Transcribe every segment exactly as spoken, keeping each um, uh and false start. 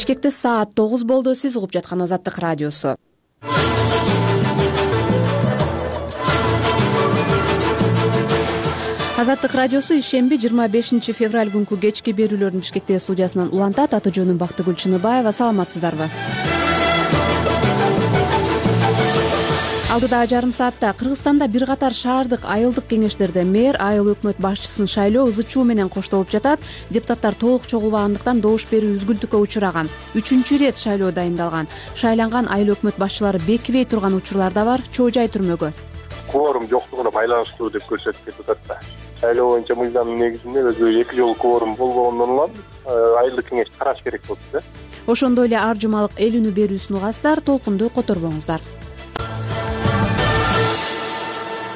Бишкекте саат тогуз болду. Сиз угуп жаткан Азаттык радиосу. Азаттык радиосу ишемби жыйырма бешинчи февраль күнкү кечки берүүлөрүн Бишкектеги студиясынан улантат. Аты жөнүм Бактыгүл Чыныбаева. Саламатсыздарбы? Алдыда жарым саатта Кыргызстанда бир катар шаардык айылдык кеңештерде мэр, айыл өкмөт башчысын шайлоо ызы чуу менен коштолуп жатат. Депутаттар толук чогулбагандыктан добуш берүү үзгүлтүккө учураган. Үчүнчү ирет шайлоо дайындалган. Шайланган айыл өкмөт башчылары бекибей турган учурлар да бар. Чоо жай түрмөгө. Кворум жоктугуна байланыштуу деп көрсөтүп жатат да. Шайлоо боюнча мыйзамдын негизинде өзү эки жолу кворум болбогондон улам айылдык кеңеш караш керек болду да. Ошондой эле ар жумалык эл үнү берүүсүн угасыздар. Толкунду которбоңуздар.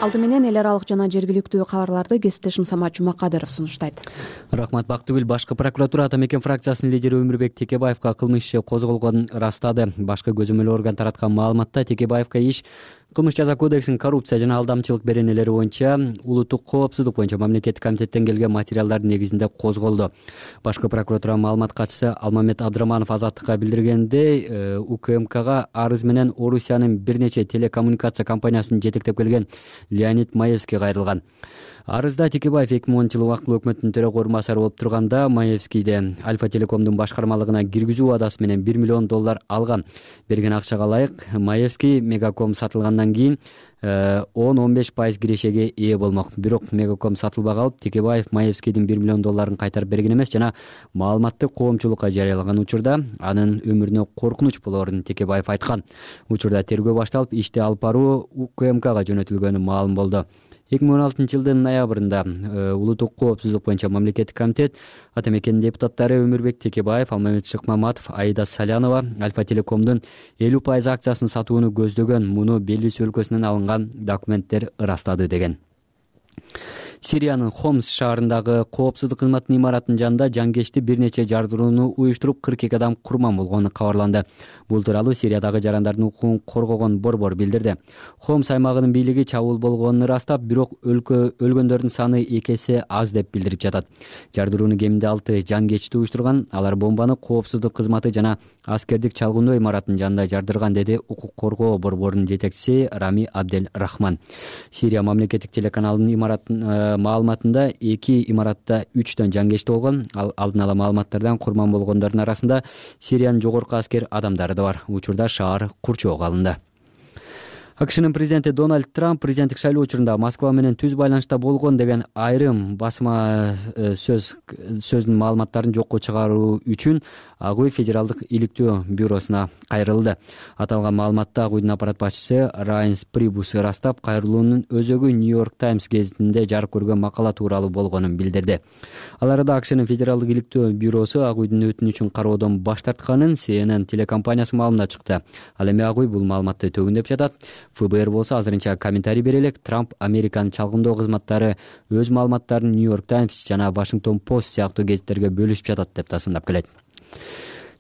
Алды менен эл аралык жана жергиликтүү кабарларды кесиптешим Самат Жумакадыров сунуштайт. Рахмат, Бактыгүл. Башкы прокуратура Ата Мекен фракциясынын лидери Өмүрбек Текебаевка кылмыш иши козголгонун ырастады. Башкы көзөмөл орган тараткан маалыматта Текебаевка иш Кылмыш жаза кодексинин коррупция жана алдамчылык беренелери боюнча улуттук коопсуздук боюнча мамлекеттик комитеттен келген материалдардын негизинде козголду. Башкы прокуратура маалымат катчысы Алмамет Абдыраманов Азаттыкка билдиргендей, УКМКга арыз менен Орусиянын бир нече телекоммуникация компаниясын жетектеп келген Леонид Маевский кайрылган. Арызда Текебаев эки миң онунчу жылы убактылуу өкмөттүн төрөгө орун басары болуп турганда Маевскийде Альфа Телекомдун башкармалыгына киргизүү убадасы менен бир миллион доллар алган. Берген акчага ылайык Маевский Мегаком сатылгандан кийин он он беш пайыз кирешеге ээ болмок. Бирок Мегаком сатылбай калып, Текебаев Маевскийдин бир миллион долларын кайтарып берген эмес жана маалыматты коомчулукка жарыялаган учурда анын өмүрүнө коркунуч болоорун Текебаев айткан. Учурда тергөө башталып, ишти алып баруу УКМКга жөнөтүлгөнү маалым болду. эки миң он алтынчы жылдын ноябрында улуттук коопсуздук боюнча мамлекеттик комитет Ата Мекенин депутаттары Өмүрбек Текебаев, Алмамет Шыкмаматов, Аида Салянова Альфа Телекомдун элүү пайыз акциясын сатууну көздөгөн, муну Белиз өлкөсүнөн алынган документтер ырастады деген. Сириянын Хомс шаарындагы коопсуздук кызматынын имаратынын жанында жанкечти бир нече жардырууну уюштуруп кырк эки адам курман болгону кабарланды. Бул тууралуу Сириядагы жарандардын укугун коргогон борбор билдирди. Хомс аймагынын бийлиги чабуул болгонун ырастап, бирок өлкө өлгөндөрдүн саны эки эсе аз деп билдирип жатат. Жардырууну кеминде алты жанкечти уюштурган. Алар бомбаны коопсуздук кызматы жана аскердик чалгындоо имаратынын жанында жардырган, деди укук коргоо борборунун жетекчиси Рами Абдель Рахман. Сирия мамлекеттик телеканалынын имаратын маалыматында эки имаратта үчтөн жанкечти болгон. Ал алдын ала маалыматтардан курман болгондордун арасында Сириянын жогорку аскер адамдары да бар. Учурда шаар курчоого алынды. АКШнын президенти Дональд Трамп президенттик шайлоо учурунда Москва менен түз байланышта болгон деген айрым басма сөз сөздүн маалыматтарын жокко чыгаруу үчүн Ак үй Федералдык иликтөө бюросуна кайрылды. Аталган маалыматта Ак үйдүн аппарат башчысы Райнс Прибус ырастап, кайрылуунун өзөгү Нью-Йорк Таймс гезитинде жарык көргөн макала тууралуу болгонун билдирди. Ал арада АКШнын Федералдык иликтөө бюросу Ак үйдүн өтүнүчүн кароодон баш тартканын Си Эн Эн телекомпаниясы маалымдап чыкты. Ал эми Ак үй бул маалыматты төгүндөп жатат. Эф Бэ Эр болсо азырынча комментарий бере элек. Трамп Американын чалгындоо кызматтары өз маалыматтарын Нью-Йорк Таймс жана Вашингтон Пост сыяктуу гезиттерге бөлүшүп жатат деп тасындап келет.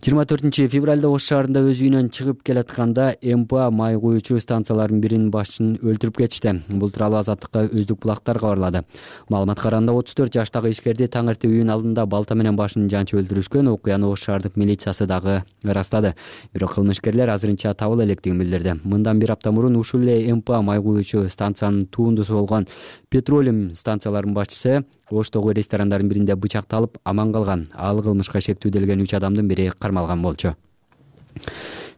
жыйырма төртүнчү февралда Ош шаарында өз үйүнөн чыгып келатканда Эм Пэ А май куючу станцияларынын биринин башчысын өлтүрүп кетишти. Бул тууралуу Азаттыкка Өздүк булактар кабарлады. Маалымат караганда отуз төрт жаштагы ишкерди таң эрте үйүнүн алдында балта менен башын жанчып өлтүрүшкөн. Окуяны Ош шаардык милициясы дагы ырастады. Бирок кылмышкерлер азырынча табыла электигин билдирди. Мындан бир апта мурун ушул эле Эм Пэ А май куючу станциянын туундусу болгон Петролиум станцияларынын башчысы Оштогу ресторандардын биринде бычакталып аман калган. Ал кылмышка шектүүделген үч адамдын бири кармалган болчу.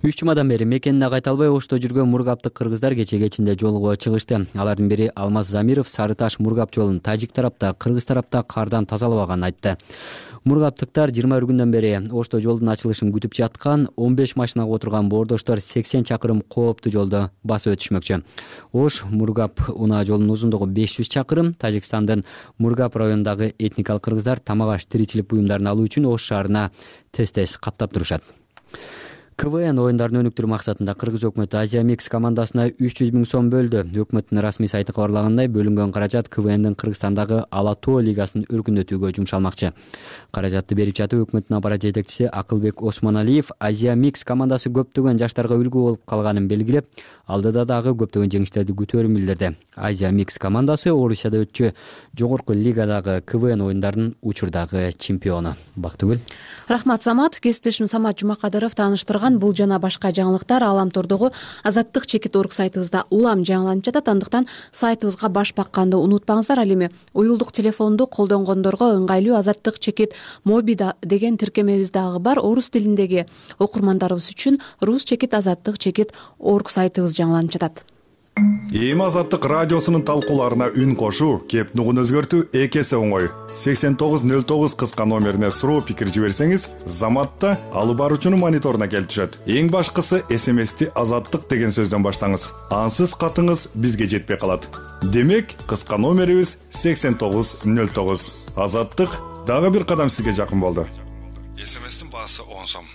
Үч жумадан бери мекенине кайта албай Ошто жүргөн мургаптык кыргыздар кече кечинде жолго чыгышты. Алардын бири Алмаз Замиров Сары Таш мургап жолун тажик тарапта, кыргыз тарапта кардан тазалабаганын айтты. Мургаптыктар жыйырма бир күндөн бери Ошто жолдун ачылышын күтүп жаткан. он беш машинага отурган боордоштор сексен чакырым кооптуу жолду басып өтүшмөкчү. Ош Мургап унаа жолунун узундугу беш жүз чакырым. Тажикстандын Мургап районундагы этникалык кыргыздар тамак аш тиричилик буюмдарын алуу үчүн Ош шаарына тез-тез каптап турушат. КВН оюндарын өнүктүрүү максатында Кыргыз өкмөтү Азия Микс командасына үч жүз миң сом бөлдү. Өкмөттүн расмий сайты кабарлагандай, бөлүнгөн каражат КВНдин Кыргызстандагы Ала тоо лигасын өркүндөтүүгө жумшалмакчы. Каражатты берип жатып өкмөттүн аппарат жетекчиси Акылбек Осмоналиев Азия Микс командасы көптөгөн жаштарга үлгү болуп калганын белгилеп, алдыда дагы көптөгөн жеңиштерди күтөөрүн билдирди. Азия Микс командасы Орусияда өтчү жогорку лигадагы КВН оюндарынын учурдагы чемпиону. Бактыгүл. Рахмат, Самат. Кесиптешим Самат Жумакадыров тааныштырган бул жана башка жаңылыктар Аламтордогу Азаттык чекит орг сайтыбызда улам жаңыланып жатат. Андыктан сайтыбызга баш бакканды унутпаңыздар. Ал эми уюлдук телефонду колдонгондорго ыңгайлуу Азаттык чекит моби деген тиркемебиз дагы бар. Орус тилиндеги окурмандарыбыз үчүн рус чекит азаттык чекит орг сайтыбыз жаңыланып жатат. Эми Азаттык радиосунун талкууларына үн кошуу, кеп нугун өзгөртүү эки эсе оңой. сексен тогуз нөл тогуз кыска номерине суроо пикир жиберсеңиз, заматта алып баруучунун мониторуна келип түшөт. Эң башкысы эс эм эсти Азаттык деген сөздөн баштаңыз. Ансыз катыңыз бизге жетпей калат. Демек, кыска номерибиз сексен тогуз нөл тогуз. Азаттык дагы бир кадам сизге жакын болду. эс эм эстин баасы он сом.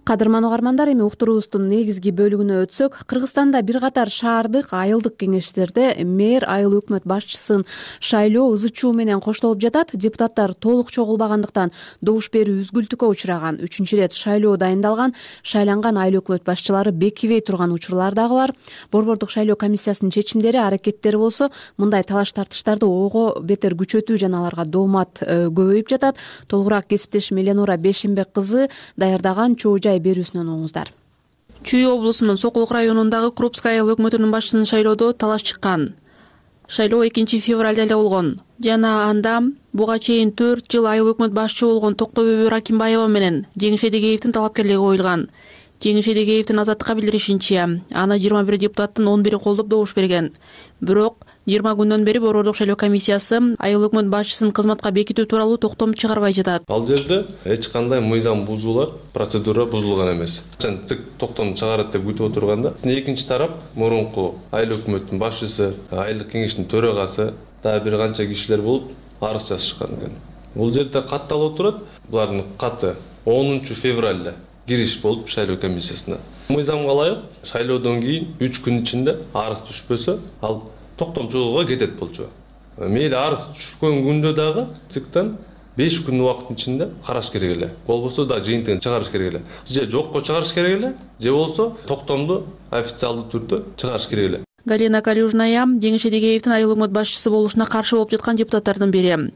Кадырман угармандар, эми уктуруубуздун негизги бөлүгүнө өтсөк, Кыргызстанда бир катар шаардык айылдык кеңештерде мэр айыл өкмөт башчысын шайлоо ызы чуу менен коштолуп жатат. Депутаттар толук чогулбагандыктан добуш берүү үзгүлтүккө учураган. Үчүнчү ирет шайлоо дайындалган, шайланган айыл өкмөт башчылары бекибей турган учурлар дагы бар. Борбордук шайлоо комиссиясынын чечимдери, аракеттери болсо, мындай талаш тартыштарды ого бетер күчөтүү жана аларга доомат көбөйүп жатат. Толугураак кесиптешим Эленура Бешенбек кызы даярдаган чоо берүүсүнөн оңуңуздар. Чүй облусунун Сокулук районундагы Крупская айыл өкмөтүнүн башчысын шайлоодо талаш чыккан. Шайлоо экинчи февралда эле болгон жана анда буга чейин төрт жыл айыл өкмөт башчы болгон Токтобөбө Ракимбаева менен Жеңиш Эдегеевдин талапкерлиги коюлган. Жеңиш Эдегеевдин Азаттыкка билдиришинче, аны жыйырма бир депутаттын он бири колдоп добуш берген. Бирок жыйырма күндөн бери Борбордук шайлоо комиссиясы айыл өкмөт башчысын кызматка бекитүү тууралуу токтом чыгарбай жатат. Ал жерде эч кандай мыйзам бузуулар, процедура бузулган эмес. ЦИК токтом чыгарат деп күтүп отурганда, экинчи тарап мурунку айыл өкмөттүн башчысы, айылдык кеңештин төрагасы, дагы бир канча кишилер болуп арыз жазышкан экен. Бул жерде катталып турат, булардын каты онунчу февралда кириш болуп шайлоо комиссиясына. Мыйзамга ылайык шайлоодон кийин үч күн ичинде арыз түшпөсө, ал токтом чыгууга кетет болчу. Мейли арыз түшкөн күндө дагы ЦИКтан беш күн убакыттын ичинде караш керек эле. Болбосо да жыйынтыгын чыгарыш керек эле. Же жокко чыгарыш керек эле, же болсо токтомду официалдуу түрдө чыгарыш керек эле. Галина Калюжная Жеңиш Эдегеевдин айыл өкмөт башчысы болушуна каршы болуп жаткан депутаттардын бири.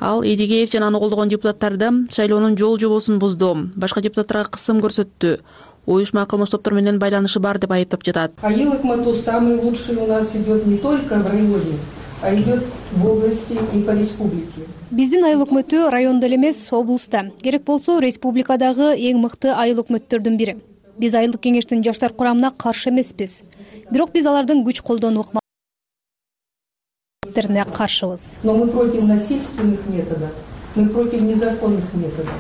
Ал Эдегеев жана аны колдогон депутаттарды шайлоонун жол жобосун бузду, башка депутаттарга кысым көрсөттү, уюшма кылмыш топтор менен байланышы бар деп айыптап жатат. Айыл өкмөтү самый лучший у нас идет не только в районе, а идет в области и по республике. Биздин айыл өкмөтү райондо эле эмес, облуста. Керек болсо республикадагы эң мыкты айыл өкмөттөрдүн бири. Биз айылдык кеңештин жаштар курамына каршы эмеспиз. Бирок биз алардын күч колдонуу ыкмаларына каршыбыз. Но мы против насильственных методов, мы против незаконных методов.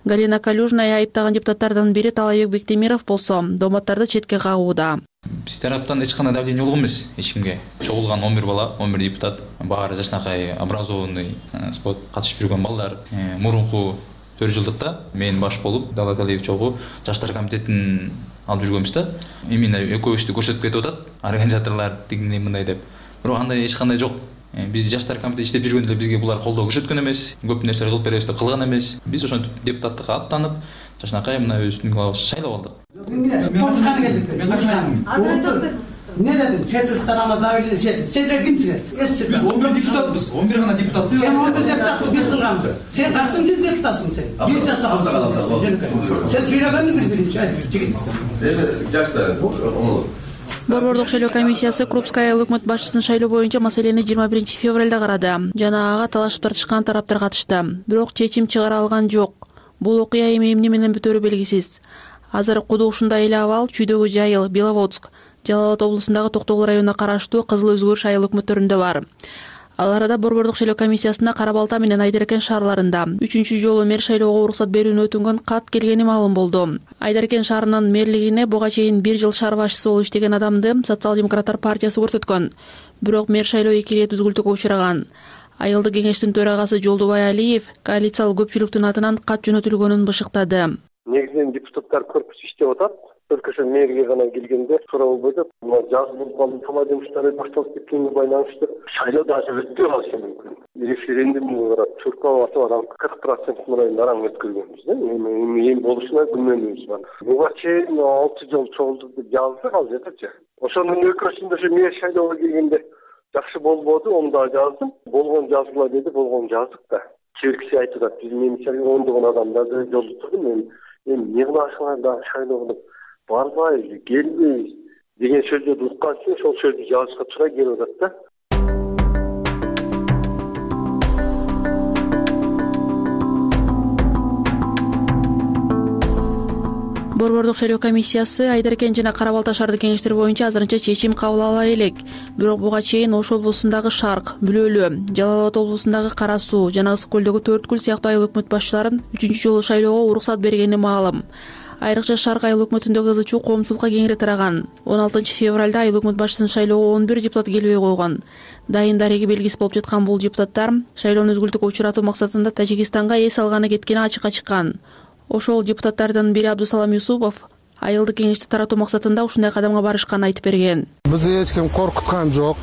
Галина Калюжная айыптаган депутаттардын бири Талайбек Бектемиров болсо, дооматтарды четке кагууда. Биз тараптан эч кандай давление болгон эмес эч кимге. Чогулган он бир бала, он бир депутат, баары жашнакай, образованный, спорт катышып жүргөн балдар. Мурунку төрт жылдыкта мен баш болуп, Дала Талиев чогуу жаштар комитетин алып жүргөнбүз да. Именно экөөбүздү көрсөтүп кетип атат, организаторлор тигиндей мындай деп. Бирок андай эч кандай жок. Биз жаштар комитети иштеп жүргөндө эле бизге булар колдоо көрсөткөн эмес, көп нерсе кылып беребиз деп кылган эмес. Биз ошентип депутаттыкка аттанып, жашнакай мына өзүбүздүн шайлап алдык. Конушканы келдик. Мен конушканы. Не дедим? Чети сторона давили, сет. Сендер кимсиңер? Эсчи. он бир депутатбыз. он бир гана депутатбыз. Сен он бир депутатбыз, биз кылганбыз. Сен кактын жүз депутатсың сен. Биз жасаган. Сен сүйлөгөндүң бир-биринчи. Жигит. Эми жаштар, оңолот. Борбордук шайлоо комиссиясы Крупская айыл өкмөт башчысын шайлоо боюнча маселени жыйырма биринчи февралда карады. Жана ага талашып тартышкан тараптар катышты. Бирок чечим чыгара алган жок. Бул окуя эми эмне менен бүтөөрү белгисиз. Азыр куду ушундай эле абал Чүйдөгү жайыл, Беловодск, Жалал Абад облусундагы Токтогул районуна караштуу Кызыл Өзгөрүш айыл өкмөттөрүндө бар. Ал арада Борбордук шайлоо комиссиясына Кара Балта менен Айдаркен шаарларында үчүнчү жолу мэр шайлоого уруксат берүүнү өтүнгөн кат келгени маалым болду. Айдаркен шаарынын мэрлигине буга чейин бир жыл шаар башчысы болуп иштеген адамды Социал-демократтар партиясы көрсөткөн. Бирок мэр шайлоо эки ирет үзгүлтүккө учураган. Айылдык кеңештин төрагасы Жолдубай Алиев коалициялык көпчүлүктүн атынан кат жөнөтүлгөнүн бышыктады. Негизинен депутаттар корпусу иштеп атат. өлкөсү мэрге гана келгенде туура болбойт. Мына жаз болуп калды, тама жумуштары башталып кеткенге байланыштуу шайлоо дагы өтпөй калышы мүмкүн. Референдумга карап чуркап атып адам кырк процент мындай араң өткөргөнбүз да. Эми эми болушуна күмөнүбүз бар. Буга чейин алты жыл чогулдук деп жаздык ал жердечи. Ошонун өкүрөсүндө ошо мэр шайлоого келгенде жакшы болбоду, onu да жаздым. Болгон жазгыла деди, болгон жаздык да. Кийинкиси айтып атат, биз менимче ондогон адамдарды жолдо турдум. Эми эми эмне кыласыңар дагы шайлоо кылып барбайбыз, келбейбиз деген сөздөрдү уккан үчүн ошол сөздү жазышка туура келип атат да. Борбордук шайлоо комиссиясы Айдаркен жана Кара Балта шаардык кеңештер боюнча азырынча чечим кабыл ала элек. Бирок буга чейин Ош облусундагы Шарк, Бүлөлү, Жалал Абад облусундагы Кара Суу жана Ысык көлдөгү Төрт Көл сыяктуу айыл өкмөт башчыларын үчүнчү жолу шайлоого уруксат бергени маалым. Айрыкча Шарк айыл өкмөтүндөгү ызы чуу коомчулукка кеңири тараган. он алтынчы февралда айыл өкмөт башчысын шайлоого он бир депутат келбей койгон. Дайын дареги белгиси болуп жаткан бул депутаттар шайлоону үзгүлтүккө учуратуу максатында Тажикистанга эс алганы кеткени ачыкка чыккан. Ошол депутаттардын бири Абдусалам Юсупов айылдык кеңешти таратуу максатында ушундай кадамга барышканын айтып берген. Бизди эч ким коркуткан жок,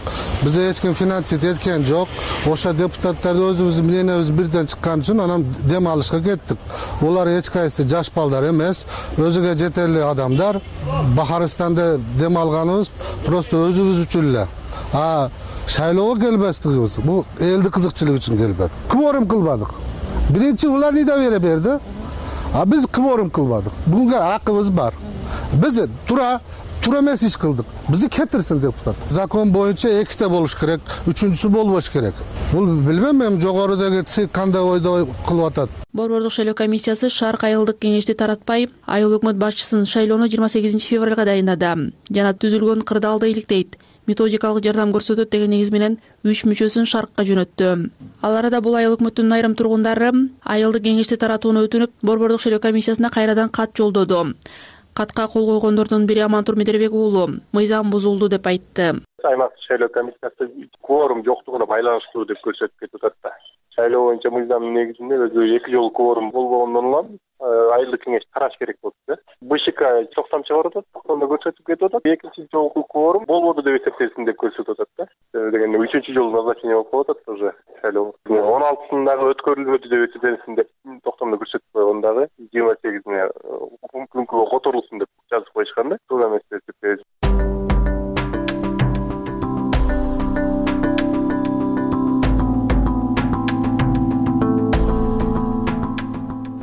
бизди эч ким финансировать эткен жок. Ошо депутаттарды өзүбүздүн мнениябыз бирден чыккан үчүн анан дем алышка кеттик. Булар эч кайсы жаш балдар эмес, өзүгө жетерлик адамдар. Бахарстанда дем алганыбыз просто өзүбүз үчүн эле. А шайлоого келбестигибиз бул элди кызыкчылык үчүн келбедик. Кворум кылбадык. Биринчи улар недоверие берди. А биз кворум кылбадык. Буга акыбыз бар. Биз тура туура эмес иш кылдык. Бизди кетирсин депутат. Закон боюнча эките болуш керек, үчүнчүсү болбош керек. Бул билбейм, эми жогорудагы ЦИК кандай ойдо кылып атат. Борбордук шайлоо комиссиясы Шарк айылдык кеңешти таратпай, айыл өкмөт башчысын шайлоону жыйырма сегизинчи февралга дайындады. Жана түзүлгөн кырдаалды иликтейт. Методикалык жардам көрсөтөт деген негиз менен үч мүчөсүн Шаркка жөнөттү. Ал арада бул айыл өкмөттүнүн айрым тургундары айылдык кеңешти таратууну өтүнүп, Борбордук шайлоо комиссиясына кайрадан кат жолдоду. Катка кол койгондордун бири Амантур Медербек уулу мыйзам бузулду деп айтты. Аймактык шайлоо комиссиясы кворум жоктугуна байланыштуу деп көрсөтүп кетип атат да. Шайлоо боюнча мыйзамдын негизинде өзү эки жолу кворум болбогондон улам айылдык кеңеш тараш керек болуп атат. БШК токтом чыгарып атат, токтомдо көрсөтүп кетип атат. Экинчи жолку кворум болбоду деп эсептелсин деп көрсөтүп атат да. Дегенде үчүнчү жолу назначение болуп атат уже шайлоо. он алтысындагы өткөрүлбөдү деп эсептелсин деп токтомдо көрсөтүп койгон дагы жыйырма сегизине күнгө которулсун деп жазып коюшкан да. Туура эмес деп эсептейбиз.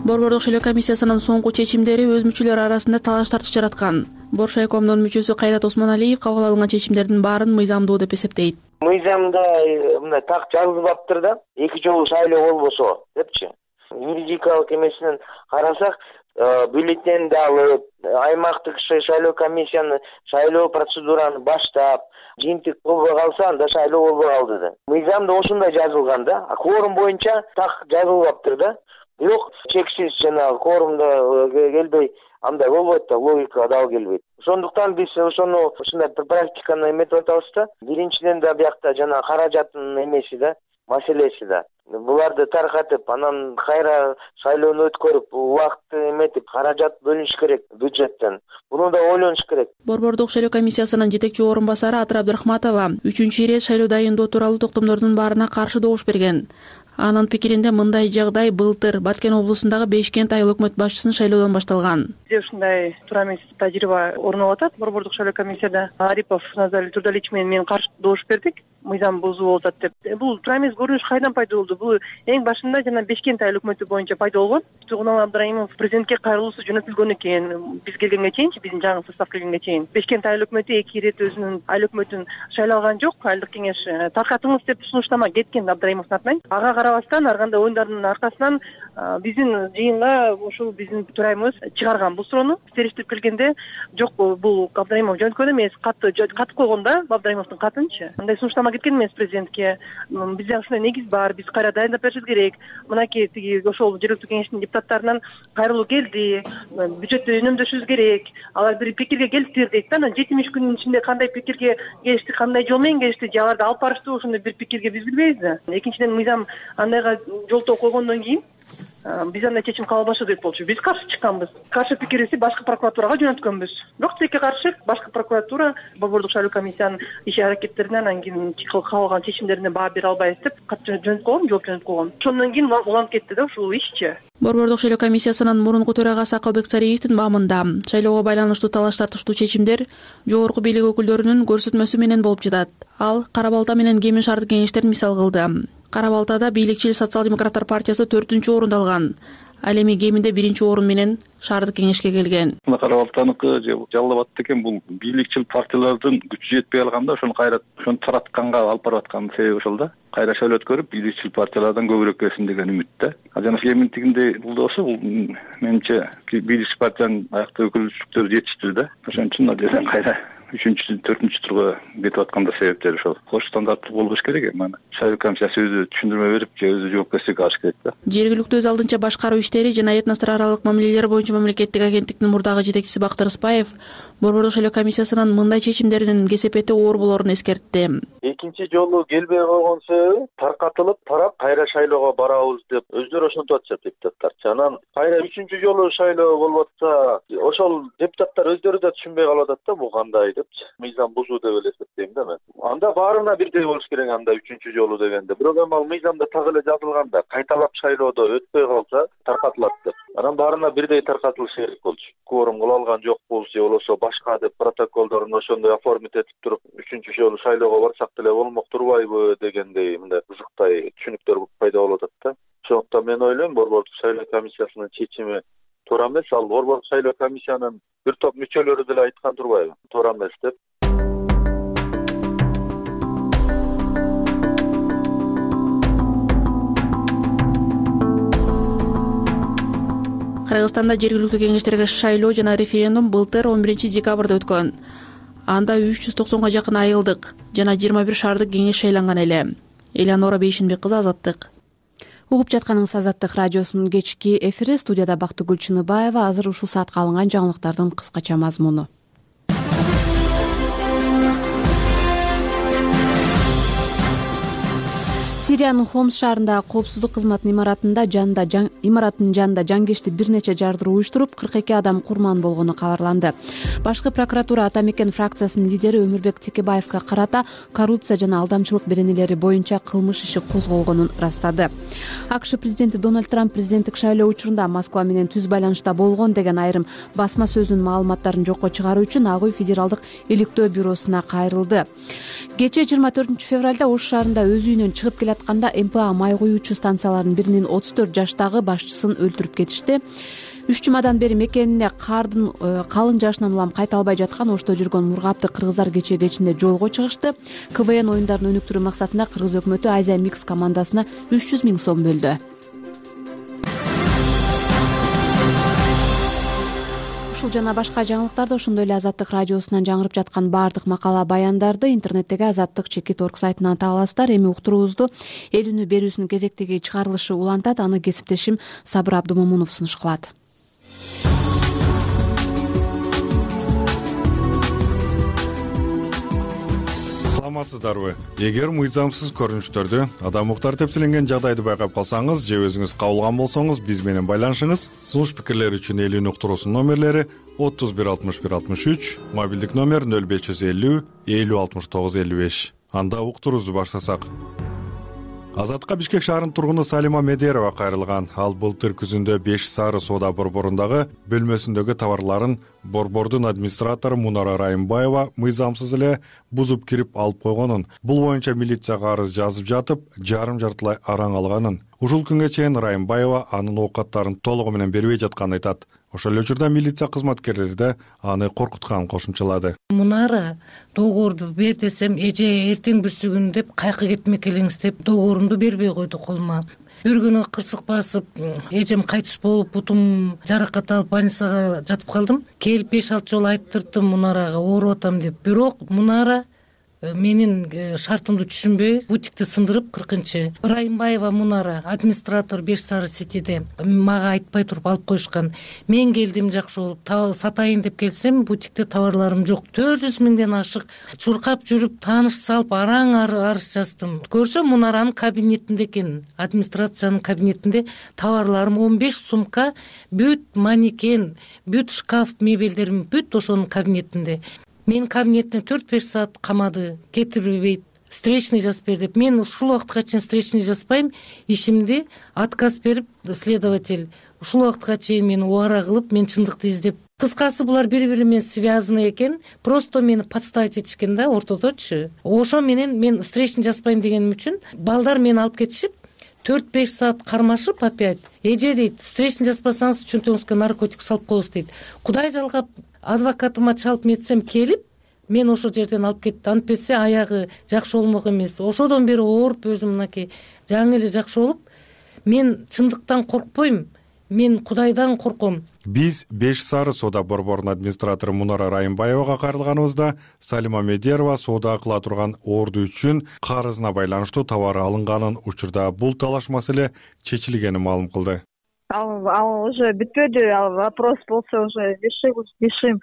Борбордук шайлоо комиссиясынын соңку чечимдери өз мүчөлөрү арасында талаш тартыш жараткан. Боршайкомдун мүчөсү Кайрат Осмоналиев кабыл алынган чечимдердин баарын мыйзамдуу деп эсептейт. Мыйзамда мындай так жазылбаптыр да, эки жолу шайлоо болбосо депчи. Юридикалык эмесинен карасак, бюллетенди алып, аймактык шайлоо комиссияны шайлоо процедураны баштап, жыйынтык болбой калса, анда шайлоо болбой калды да. Мыйзамда ошондой жазылган да. Кворум боюнча так жазылбаптыр да. Бирок чексиз жанагы кворумда келбей андай болбойт да, логика дал келбейт. Ошондуктан биз ошону ушундай практиканы эметип атабыз да. Биринчиден да биякта жана каражаттын эмеси да, маселеси да. Буларды таркатып, анан кайра шайлоону өткөрүп, убакытты эметип, каражат бөлүнүш керек бюджеттен. Буну да ойлонуш керек. Борбордук шайлоо комиссиясынын жетекчи орун басары Атыр Абдрахматова үчүнчү ирет шайлоо дайындоо тууралуу токтомдордун баарына каршы добуш берген. Анын пикиринде мындай жагдай былтыр Баткен облусундагы Бешкент айыл өкмөт башчысын шайлоодон башталган. Бизде ушундай туура эмес тажрыйба орун алып атат. Борбордук шайлоо комиссияда Арипов Назар Турдалич менен мен каршы добуш бердик. Мыйзам бузуу болуп атат деп. Бул туура эмес көрүнүш кайдан пайда болду? Бул эң башында жана Бешкент айыл өкмөтү боюнча пайда болгон. Тугунал Абдрайымов президентке кайрылуусу жөнөтүлгөн экен. Биз келгенге чейинчи, биздин жаңы состав келгенге чейин. Бешкент айыл өкмөтү эки ирет өзүнүн айыл өкмөтүн шайлалган жок. Айылдык кеңеш таркатыңыз деп сунуштама кеткен Абдрайымовдун атынан. Ага карабастан ар кандай оюндардын аркасынан биздин жыйынга ушул биздин төрайымыбыз чыгарган бул суроону. Териштирип келгенде жок, бул Абдрайымов жөнөткөн эмес, катты катып койгон да Абдрайымовдун катынчы. Андай сунуштама кеткен эмес президентке. Бизде ушундай негиз бар, биз кайра дайындап беришибиз керек. Мынакей тиги ошол жергиликтүү кеңештин депутаттарынан кайрылуу келди, бюджеттти үнөмдөшүбүз керек. Алар бир пикирге келиптир дейт да. Анан жетимиш күнүн ичинде кандай пикирге келишти, кандай жол менен келишти, же аларды алып барыштуу ошондой бир пикирге биз билбейбиз да. Экинчиден, мыйзам андайга жолтоо койгондон кийин биз андай чечим кабыл албашы керек болчу. Биз каршы чыкканбыз. Каршы пикирибизди башкы прокуратурага жөнөткөнбүз. Бирок тилекке каршы башкы прокуратура Борбордук шайлоо комиссиянын иш аракеттеринен анан кийин кабыл алган чечимдерине баа бере албайбыз деп кат жөнөтүп койгон, жооп жөнөтүп койгон. Ошондон кийин уланып кетти да ушул ишчи. Борбордук шайлоо комиссиясынын мурунку төрагасы Акылбек Сариевдин баамында шайлоого байланыштуу талаш тартыштуу чечимдер жогорку бийлик өкүлдөрүнүн көрсөтмөсү менен болуп жатат. Ал Кара Балта менен Кемин шаардык кеңештерин мисал кылды. Кара Балтада бийликчил социал-демократтар партиясы төртүнчү орунду алган. Ал эми Кеминде биринчи орун менен шаардык кеңешке келген. Кара Балтаныкы же Жалал Абад экен бул бийликчил партиялардын күчү жетпей калганда ошону кайра ошону таратканга алып барып аткан себеби ошол да. Кайра шайлоо өткөрүп бийликчил партиялардан көбүрөөк келсин деген үмүт да. Жана Кеминдигинде бул болсо бул менимче бийликчил партиянын аяктуу өкүлчүлүктөрү жетиштүү да. Ошон үчүн адеен кайра үчүнчү, төртүнчү турга кетип атканда себептери ошол. Кош стандарттуу болбош керек эми аны. Шайлоо комиссиясы өзү түшүндүрмө берип, же өзү жоопкерчиликке алыш керек да. Жергиликтүү өз алдынча башкаруу иштери жана этностор аралык мамилелер боюнча мамлекеттик агенттиктин мурдагы жетекчиси Бактыр Ыспаев Борбордук шайлоо комиссиясынын мындай чечимдеринин кесепети оор болорун эскертти. Экинчи жолу келбей койгон себеби таркатылып, тарап кайра шайлоого барабыз деп өздөрү ошентип атышат депутаттар. Анан кайра үчүнчү жолу шайлоо болуп атса, ошол депутаттар өздөрү да түшүнбөй калып атат да бул кандай депчи. Мыйзам бузуу деп эле эсептейм да мен. Анда баарына бирдей болуш керек анда үчүнчү жолу дегенде. Бирок эми ал мыйзамда так эле жазылганда кайталап шайлоодо өтпөй калса таркатылат деп. Анан баарына бирдей таркатылышы керек болчу. Кворум кыла алган жокпуз же болбосо башка деп протоколдорун ошондой оформить этип туруп үчүнчү жолу шайлоого барсак деле болмок турбайбы дегендей мындай кызыктай түшүнүктөр пайда болуп атат да. Ошондуктан мен ойлойм Борбордук шайлоо комиссиясынын чечими туура эмес. Ал Борбордук шайлоо комиссиянын бир топ мүчөлөрү деле айткан турбайбы? Туура эмес деп. Кыргызстанда жергиликтүү кеңештерге шайлоо жана референдум былтыр он биринчи декабрда өткөн. Анда үч жүз токсонго жакын айылдык жана жыйырма бир шаардык кеңеш шайланган эле. Элеонора Бейшинбек кызы, Азаттык. Угуп жатканыңыз Азаттык радиосунун кечки эфири. Студияда Бактыгүл Чыныбаева. Азыр ушул саатка алынган жаңылыктардын кыскача мазмуну. Сириянын Хомс шаарындагы коопсуздук кызматынын имаратында жанында жан имараттын жанында жангешти бир нече жардыруу уюштуруп, кырк эки адам курман болгону кабарланды. Башкы прокуратура Ата Мекен фракциясынын лидери Өмүрбек Текебаевга карата коррупция жана алдамчылык беренелери боюнча кылмыш иши козголгонун ырастады. АКШ президенти Дональд Трамп президенттик шайлоо учурунда Москва менен түз байланышта болгон деген айрым басма сөзүнүн маалыматтарын жокко чыгаруу үчүн Ак үй федералдык иликтөө бюросуна кайрылды. Кечээ жыйырма төртүнчү февралда Ош шаарында өз үйүнөн чыгып келе атканда эм пэ а май куюучу станцияларынын биринин отуз төрт жаштагы башчысын өлтүрүп кетишти. Үч жумадан бери мекенине кардын калың жашынан улам кайта албай жаткан Ошто жүргөн мургапты кыргыздар кечээ кечинде жолго чыгышты. ка вэ эн оюндарын өнүктүрүү максатында кыргыз өкмөтү Азия Микс командасына үч жүз миң сом бөлдү. Ушул жана башка жаңылыктарды, ошондой эле Азаттык радиосунан жаңырып жаткан баардык макала баяндарды интернеттеги Азаттык чекит орг сайтынан таба аласыздар. Эми уктуруубузду эл үнү берүүсүнүн кезектеги чыгарылышы улантат. Аны кесиптешим Сабыр Абдумомунов сунуш кылат. Саламатсыздарбы? Эгер мыйзамсыз көрүнүштөрдү, адам укуктары тепселенген жагдайды байкап калсаңыз же өзүңүз кабылган болсоңуз, биз менен байланышыңыз. Сунуш пикирлер үчүн эл үнү уктуруусунун номерлери отуз бир алтымыш бир алтымыш үч, мобилдик номер нөл беш жүз элүү элүү алтымыш тогуз элүү беш. Анда уктуруубузду баштасак. Азатка Бишкек шаарынын тургуну Салима Медерова кайрылган. Ал былтыр күзүндө беш Сары соода борборундагы бөлмөсүндөгү товарларын борбордун администратору Мунара Райымбаева мыйзамсыз эле бузуп кирип алып койгонун, бул боюнча милицияга арыз жазып жатып, жарым жартылай араң алганын. Ушул күнгө чейин Райымбаева анын оокаттарын толугу менен бербей жатканын айтат. Ошол эле учурда милиция кызматкерлери да аны коркутканын кошумчалады. Мунара договорду бер десем, эже эртең бүрсүгүн деп кайкы кетмек элеңиз деп договорумду бербей койду колума. Бир күнү кырсык басып, эжем кайтыш болуп, бутум жаракат алып больницага жатып калдым. Келип беш алты жолу айттырдым Мунарага ооруп атам деп. Бирок Мунара менин шартымды түшүнбөй бутикти сындырып кыркынчы Райымбаева Мунара администратор Беш Сары Ситиде мага айтпай туруп алып коюшкан. Мен келдим жакшы болуп сатайын деп келсем бутикте товарларым жок. төрт жүз миңден ашык чуркап жүрүп тааныш салып араң арыз жаздым. Көрсөм Мунаранын кабинетинде экен, администрациянын кабинетинде товарларым он беш сумка, бүт манекен, бүт шкаф мебелдерим бүт ошонун кабинетинде. Мен кабинетине төрт беш саат камады, кетирбейт, встречный жазып бер деп. Мен ушул убакытка чейин встречный жазбайм, ишимди отказ берип следователь ушул убакытка чейин мени убара кылып, мен чындыкты издеп. Кыскасы булар бири-бири менен связаны экен, просто мени подставить этишкен да ортодочу. Ошо менен мен встречный жазбайм дегеним үчүн балдар мени алып кетишип, төрт беш саат кармашып опять. Эже дейт, встречный жазбасаңыз чөнтөгүңүзгө наркотик салып коебуз дейт. Кудай жалгап адвокатыма чалып метсем келип, мен ошол жерден алып кетти. Антпесе аягы жакшы болмок эмес. Ошодон бери ооруп өзүм мынакей жаңы эле жакшы болуп, мен чындыктан коркпойм. Мен Кудайдан корком. Биз Беш Сары соода борборунун администратору Мунара Райымбаевага кайрылганыбызда Салима Медерова соода кыла турган орду үчүн карызына байланыштуу товар алынганын, учурда бул талаш маселе чечилгенин маалым кылды. Ал, ал уже бүтпөдү, ал вопрос болсо уже решим.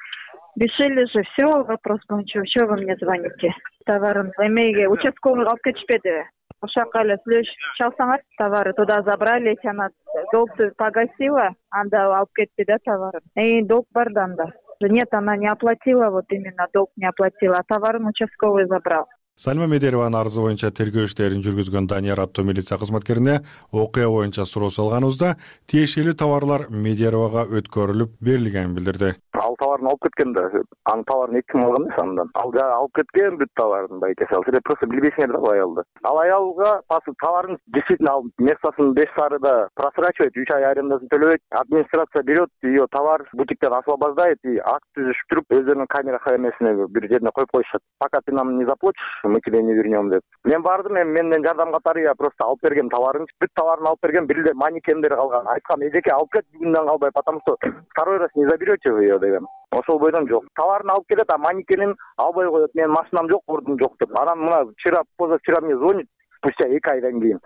Решили же все, вопрос боюнча. Чего вы мне звоните? Товарын эмеге участковый алып кетишпеди. Ошака эле сүйлөшүп чалсаңар, товары туда забрали, она долгты погасила, анда алып кетти да товарын. И долг бар да анда. Нет, она не оплатила, вот именно долг не оплатила, а товарын участковый забрал. Салима Медерованын арызы боюнча тергөө иштерин жүргүзгөн Данияр аттуу милиция кызматкерине окуя боюнча суроо салганыбызда тиешелүү товарлар Медеровага өткөрүлүп берилгенин билдирди. Ал товарын алып кеткен да, анын товарын эки ким алган эмес андан. Ал алып кеткен бүт товарын байкесе. Ал просто билбейсиңер да аялды. Ал аялга товарын действительно ал местосын Беш Сарыда просрачивает, үч ай арендасын төлөбөйт. Администрация берет, ее товар бутиктен освобождает и акт түзүшүп туруп, өздөрүнүн камера эмесине бир жерине коюп коюшат. Пока ты нам не заплатишь, мы тебе не вернем деп. Мен бардым, эми менден жардам катары я просто алып берген товарын, бүт товарын алып берген, бир эле манекендер калган. Айткам, эжеке алып кет бүгүндөн калбай, потому что второй раз не заберете вы ее деген. Ошол бойдон жок. Товарын алып келет, а манекенин албай коет. Менин машинам жок, ордум жок деп. Анан мына вчера, позавчера мне звонит, спустя эки айдан кийин.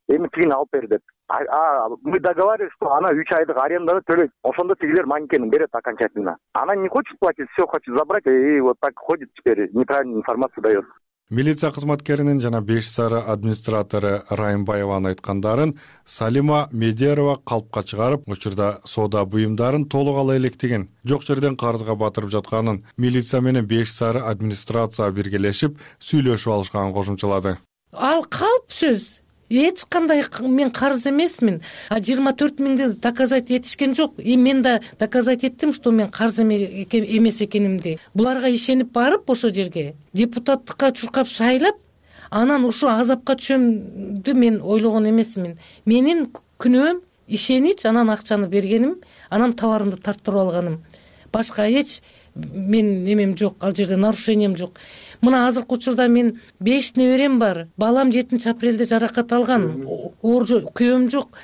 Эми тигини алып бер деп. А мы договаривались, что она үч айдык аренданы төлөйт. Ошондо тигилер манекенин берет окончательно. Она не хочет платить, все хочет забрать, и вот так ходит теперь, неправильную информацию дает. Милиция кызматкеринин жана Беш Сары администратору Райымбаеванын айткандарын Салима Медерова калпка чыгарып, учурда соода буюмдарын толук ала электигин, жок жерден карызга батырып жатканын, милиция менен Беш Сары администрация биргелешип сүйлөшүп алышканын кошумчалады. Ал калп сөз. Эч кандай мен карыз эмесмин. А жыйырма төрт миңди доказать этишкен жок. И мен да доказать эттим, что мен карыз эмес экенимди. Буларга ишенип барып ошо жерге депутаттыкка чуркап шайлап, анан ушу азапка түшөмдү мен ойлогон эмесмин. Менин күнөөм ишенич, анан акчаны бергеним, анан товарымды тарттырып алганым. Башка эч мен немем жок, ал жерде нарушением жок. Мына азыркы учурда мен беш неберем бар. Балам жетинчи апрелде жаракат алган. Оор күйөөм жок.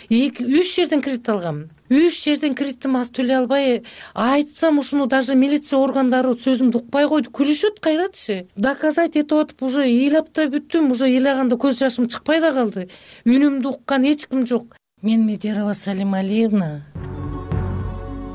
үч жерден кредит алгам. үч жерден кредитим аз төлөй албай, айтсам ушуну даже милиция органдары сөзүмдү укпай койду. Күлүшөт кайрачы. Доказать этип атып уже ыйлап да бүттүм, уже ыйлаганда көз жашым чыкпай да калды. Үнүмдү уккан эч ким жок. Мен Медерова Салима Алиевна.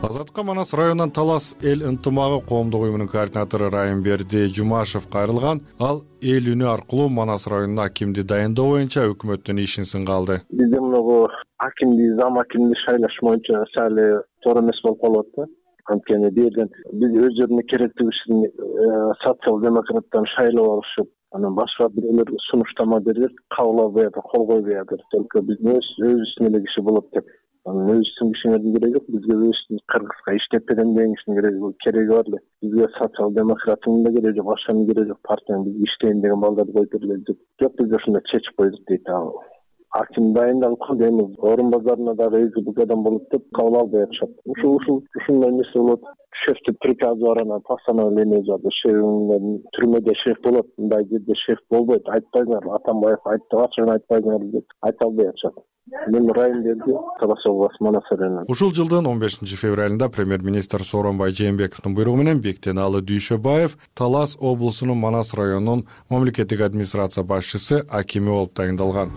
Азатка Манас районунан Талас эл ынтымагы коомдук уюмунун координатору Райымберди Жумашев кайрылган. Ал эл үнү аркылуу Манас районуна акимди дайындоо боюнча өкмөттүн ишин сынга алды. Бизде мынагу акимди, зам акимди шайлаш боюнча сали туура эмес болуп калып атты. Анткени берден биз өздөрүнүн керектиги үчүн социал-демократтан шайлап алышып, анан башка бирөөлөр сунуштама берип, кабыл албай атат, кол койбой атат. Только биз өзүбүздүн эле киши болот деп. Өзүбүздүн кишиңердин кереги жок, бизге өзүбүздүн кыргызга иштеп берем деген кишинин кереги бар эле. Бизге социал-демократтын да кереги жок, башканын кереги жок, партиянын бизге иштейин деген балдарды коюп бергиле деп. Жок, биз ошондой чечип койдук дейт. Аким дайындалып калды, эми орун базарына дагы эки бул адам болот деп кабыл албай атышат. Ушул ушул ушундай нерсе болот. Шефтин приказы бар, анан постановление жазды. Шеф түрмөдө шеф болот, мындай жерде шеф болбойт, айтпаңар, Атамбаев айтты, ачыгын айтпаңар деп айта албай атышат. Мен райондерде Талас областы Манас районунан. Ушул жылдын он бешинчи февралында премьер-министр Сооронбай Жээнбековдун буйругу менен Бектеналы Дүйшөбаев Талас облусунун Манас районунун мамлекеттик администрация башчысы акими болуп тагындалган.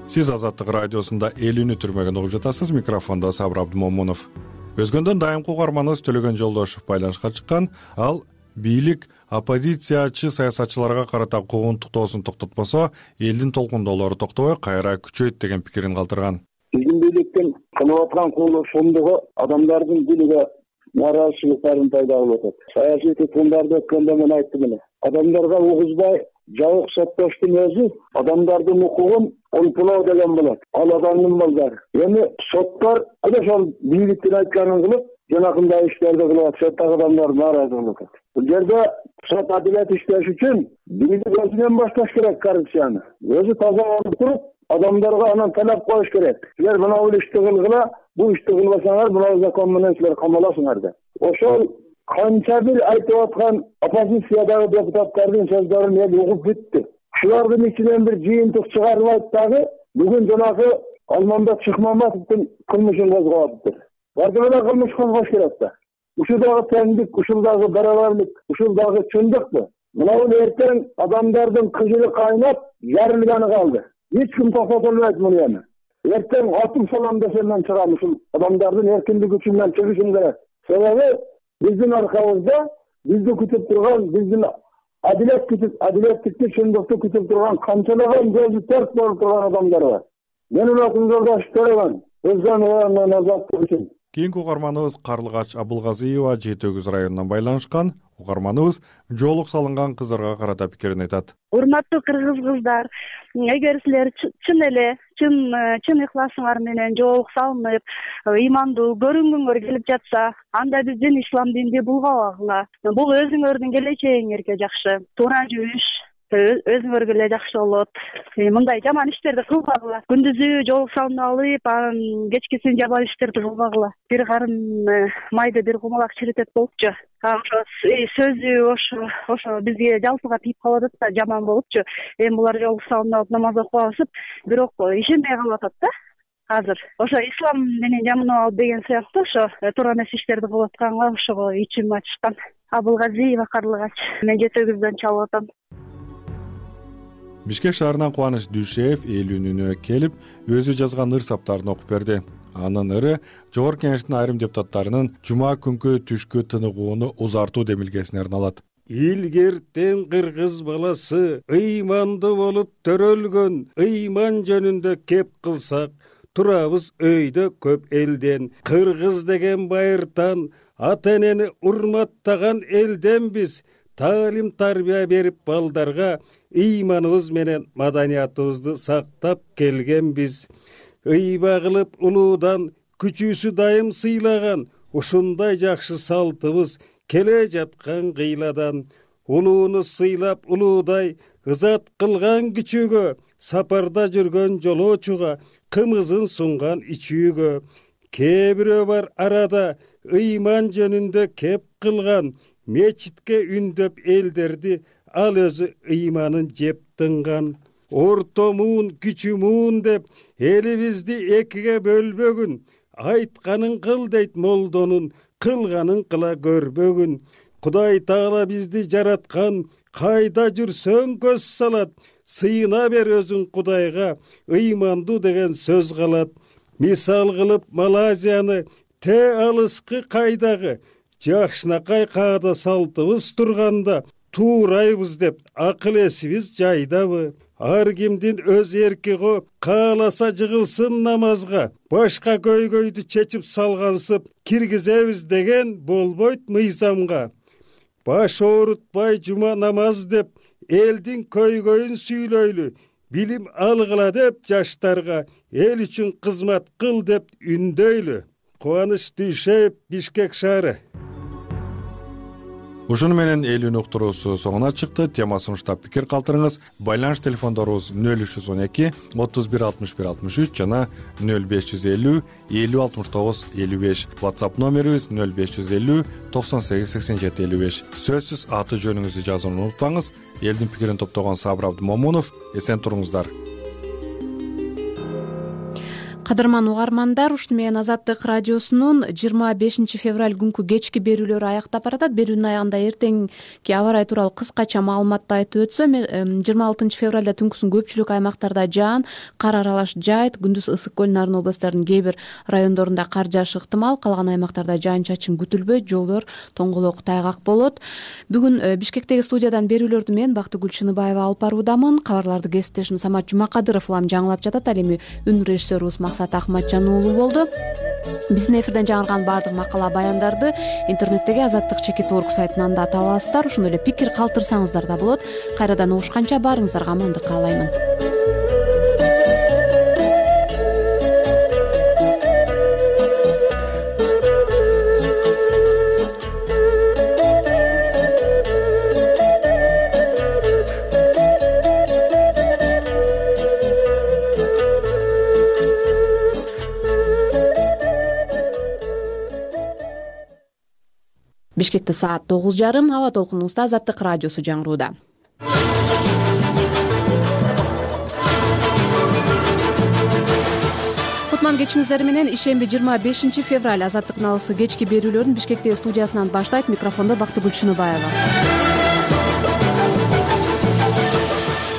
Сиз Азаттык радиосунда эл үнү түрмөгүн угуп жатасыз. Микрофондо Сабыр Абдымомунов. Өзгөндөн дайымкы угарманыбыз Төлөгөн Жолдошов байланышка чыккан. Ал бийлик оппозициячы саясатчыларга карата куугунтуктоосун токтотпосо, элдин толкундоолору токтобой кайра күчөйт деген пикирин калтырган. Биздин бийликтин кылып аткан куулдугу адамдардын дилиге нааразычылыктарын пайда кылып атат. Саясий туткундарды өткөндө мен айттым эле. Адамдарга угузбай жабык соттоштун өзү адамдардын укугун олпулоо деген болот. Ал адамдын балдары. Эми соттор ошол бийликтин айтканын кылып, жанакындай иштерди кылып атышат, адамдар нааразы болуп атат. Бул жерде сот адилет иштеш үчүн бийлик өзүнөн башташ керек коррупцияны. Өзү таза болуп туруп, адамдарга анан талап коюш керек. Силер мына бул ишти кылгыла, бул ишти кылбасаңар, мына закон менен силер камаласыңар деп. Ошол канча бир айтып аткан оппозициядагы депутаттардын сөздөрүн эл угуп бүттү. Шулардын ичинен бир жыйынтык чыгарылып дагы бүгүн жанагы Алмамбет Шыкмамбетовдун кылмышын козгоптур. Барды менен кылмыш козгош керек да. Ушул дагы теңдик, ушул дагы барабарлык, ушул дагы чындыкпы? Мына бул эртең адамдардын кыжыры кайнап, жарылганы калды. Эч ким токтото албайт муну эми. Эртең атып салам десем мен чыгам, ушул адамдардын эркиндик үчүн чыгышым керек. Себеби биздин аркабызда бизди күтүп турган, биздин адилет күтүп, адилеттикти, чындыкты күтүп турган канчалаган жолу терс болуп турган адамдар бар. Менин атым Жолдош Төлөгөн, өзгөн оюнун азаттык үчүн. Кийинки угарманыбыз Карлыгач Абылгазиева Жети Өгүз районунан байланышкан. Угарманыбыз жоолук салынган кыздарга карата пикирин айтат. Урматтуу кыргыз кыздар, эгер силер чын эле, чын чын ыхласыңар менен жоолук салынып, ыймандуу көрүнгүңөр келип жатса, анда биздин ислам динди булгабагыла. Бул өзүңөрдүн келечегиңерге жакшы. Туура жүрүш өзүңөргө эле жакшы болот. Мындай жаман иштерди кылбагыла. Күндүзү жоолук салынып алып, анан кечкисин жаман иштерди кылбагыла. Бир карын майды бир кумалак чиритет болупчу. Ошо сөзү ошо ошо бизге жалпыга тийип калып атат да, жаман болупчу. Эми булар жоолук салынып алып намаз окуп алышып, бирок ишенбей калып атат да. Азыр ошо ислам менен жаманап алып деген сыяктуу ошо туура эмес иштерди кылып атканга ошого ичим ачышкан. Абылгазиева Карлыгач. Мен Жети Өгүздөн чалып атам. Бишкек шаарынан Кубаныч Дүйшеев эл үнүнө келип, өзү жазган ыр саптарын окуп берди. Анын ыры Жогорку Кеңештин айрым депутаттарынын жума күнкү түшкү тыныгууну узартуу демилгесине арналат. Илгертен кыргыз баласы ыймандуу болуп төрөлгөн, ыйман жөнүндө кеп кылсак, турабыз өйдө көп элден. Кыргыз деген байыртан, ата энени урматтаган элден биз. Таалим тарбия берип балдарга ыйманыбыз менен маданиятыбызды сактап келгенбиз. Ыйба кылып улуудан күчүүсү дайым сыйлаган, ушундай жакшы салтыбыз келе жаткан кыйладан. Улууну сыйлап улуудай ызат кылган күчүүгө, сапарда жүргөн жолоочуга кымызын сунган ичүүгө. Кээ бирөө бар арада ыйман жөнүндө кеп кылган, мечитке үндөп элдерди, ал өзү ыйманын жеп тынган. Орто муун, күчү муун деп элибизди экиге бөлбөгүн, айтканын кыл дейт молдонун, кылганын кыла көрбөгүн. Кудай Таала бизди жараткан, кайда жүрсөң көз салат, сыйына бер өзүң Кудайга, ыймандуу деген сөз калат. Мисал кылып Малайзияны, те алыскы кайдагы, жакшынакай каада салтыбыз турганда, туурайбыз деп акыл эсибиз жайдабы? Ар кимдин өз эрки го, кааласа жыгылсын намазга, башка көйгөйдү чечип салгансып, киргизебиз деген болбойт мыйзамга. Баш оорутпай жума намаз деп, элдин көйгөйүн сүйлөйлү, билим алгыла деп жаштарга, эл үчүн кызмат кыл деп үндөйлү. Кубаныч Дүйшеев, Бишкек шаары. Ушуну менен эл үнү уктуруусу соңуна чыкты. Темасын уштап пикир калтырыңыз. Байланыш телефондорубуз нөл үч жүз он эки отуз бир алтымыш бир алтымыш үч жана нөл беш жүз элүү элүү алтымыш тогуз элүү беш. WhatsApp номерибиз нөл беш жүз элүү токсон сегиз сексен жети элүү беш. Сөзсүз аты жөнүңүздү жазууну унутпаңыз. Элдин пикирин топтогон Сабыр Абдымомунов. Эсен туруңуздар. Кадырман угармандар, ушуну менен Азаттык радиосунун жыйырма бешинчи февраль күнкү кечки берүүлөрү аякта баратат. Берүүнүн аягында эртеңки аба ырайы тууралуу кыскача маалыматты айтып өтсөм, жыйырма алтынчы февралда түнкүсүн көпчүлүк аймактарда жаан, кар аралаш жайыт, күндүз ысык көл, Нарын областарынын кээ бир райондорунда кар жаашы ыктымал, калган аймактарда жаан-чачын күтүлбөйт, жолдор тоңголок, тайгак болот. Бүгүн Бишкектеги студиядан берүүлөрдү мен Бактыгүл Чыныбаева алып баруудамын. Кабарларды кесиптешим Самат Жумакадыров улам жаңылап жатат. Ал эми үн режиссерубуз Максат Ахматжан уулу болду. Биздин эфирден жаңырган баардык макала баяндарды интернеттеги Азаттык чекит орг сайтынан да таба аласыздар. Ошондой эле пикир калтырсаңыздар да болот. Кайрадан угушканча баарыңыздарга амандык каалаймын. Бишкекте саат тогуз жарым, аба толкунубузда Азаттык радиосу жаңырууда. Кутман кечиңиздер менен ишемби жыйырма бешинчи февраль Азаттык налысы кечки берүүлөрүн Бишкектеги студиясынан баштайт. Микрофондо Бактыгүл Чыныбаева.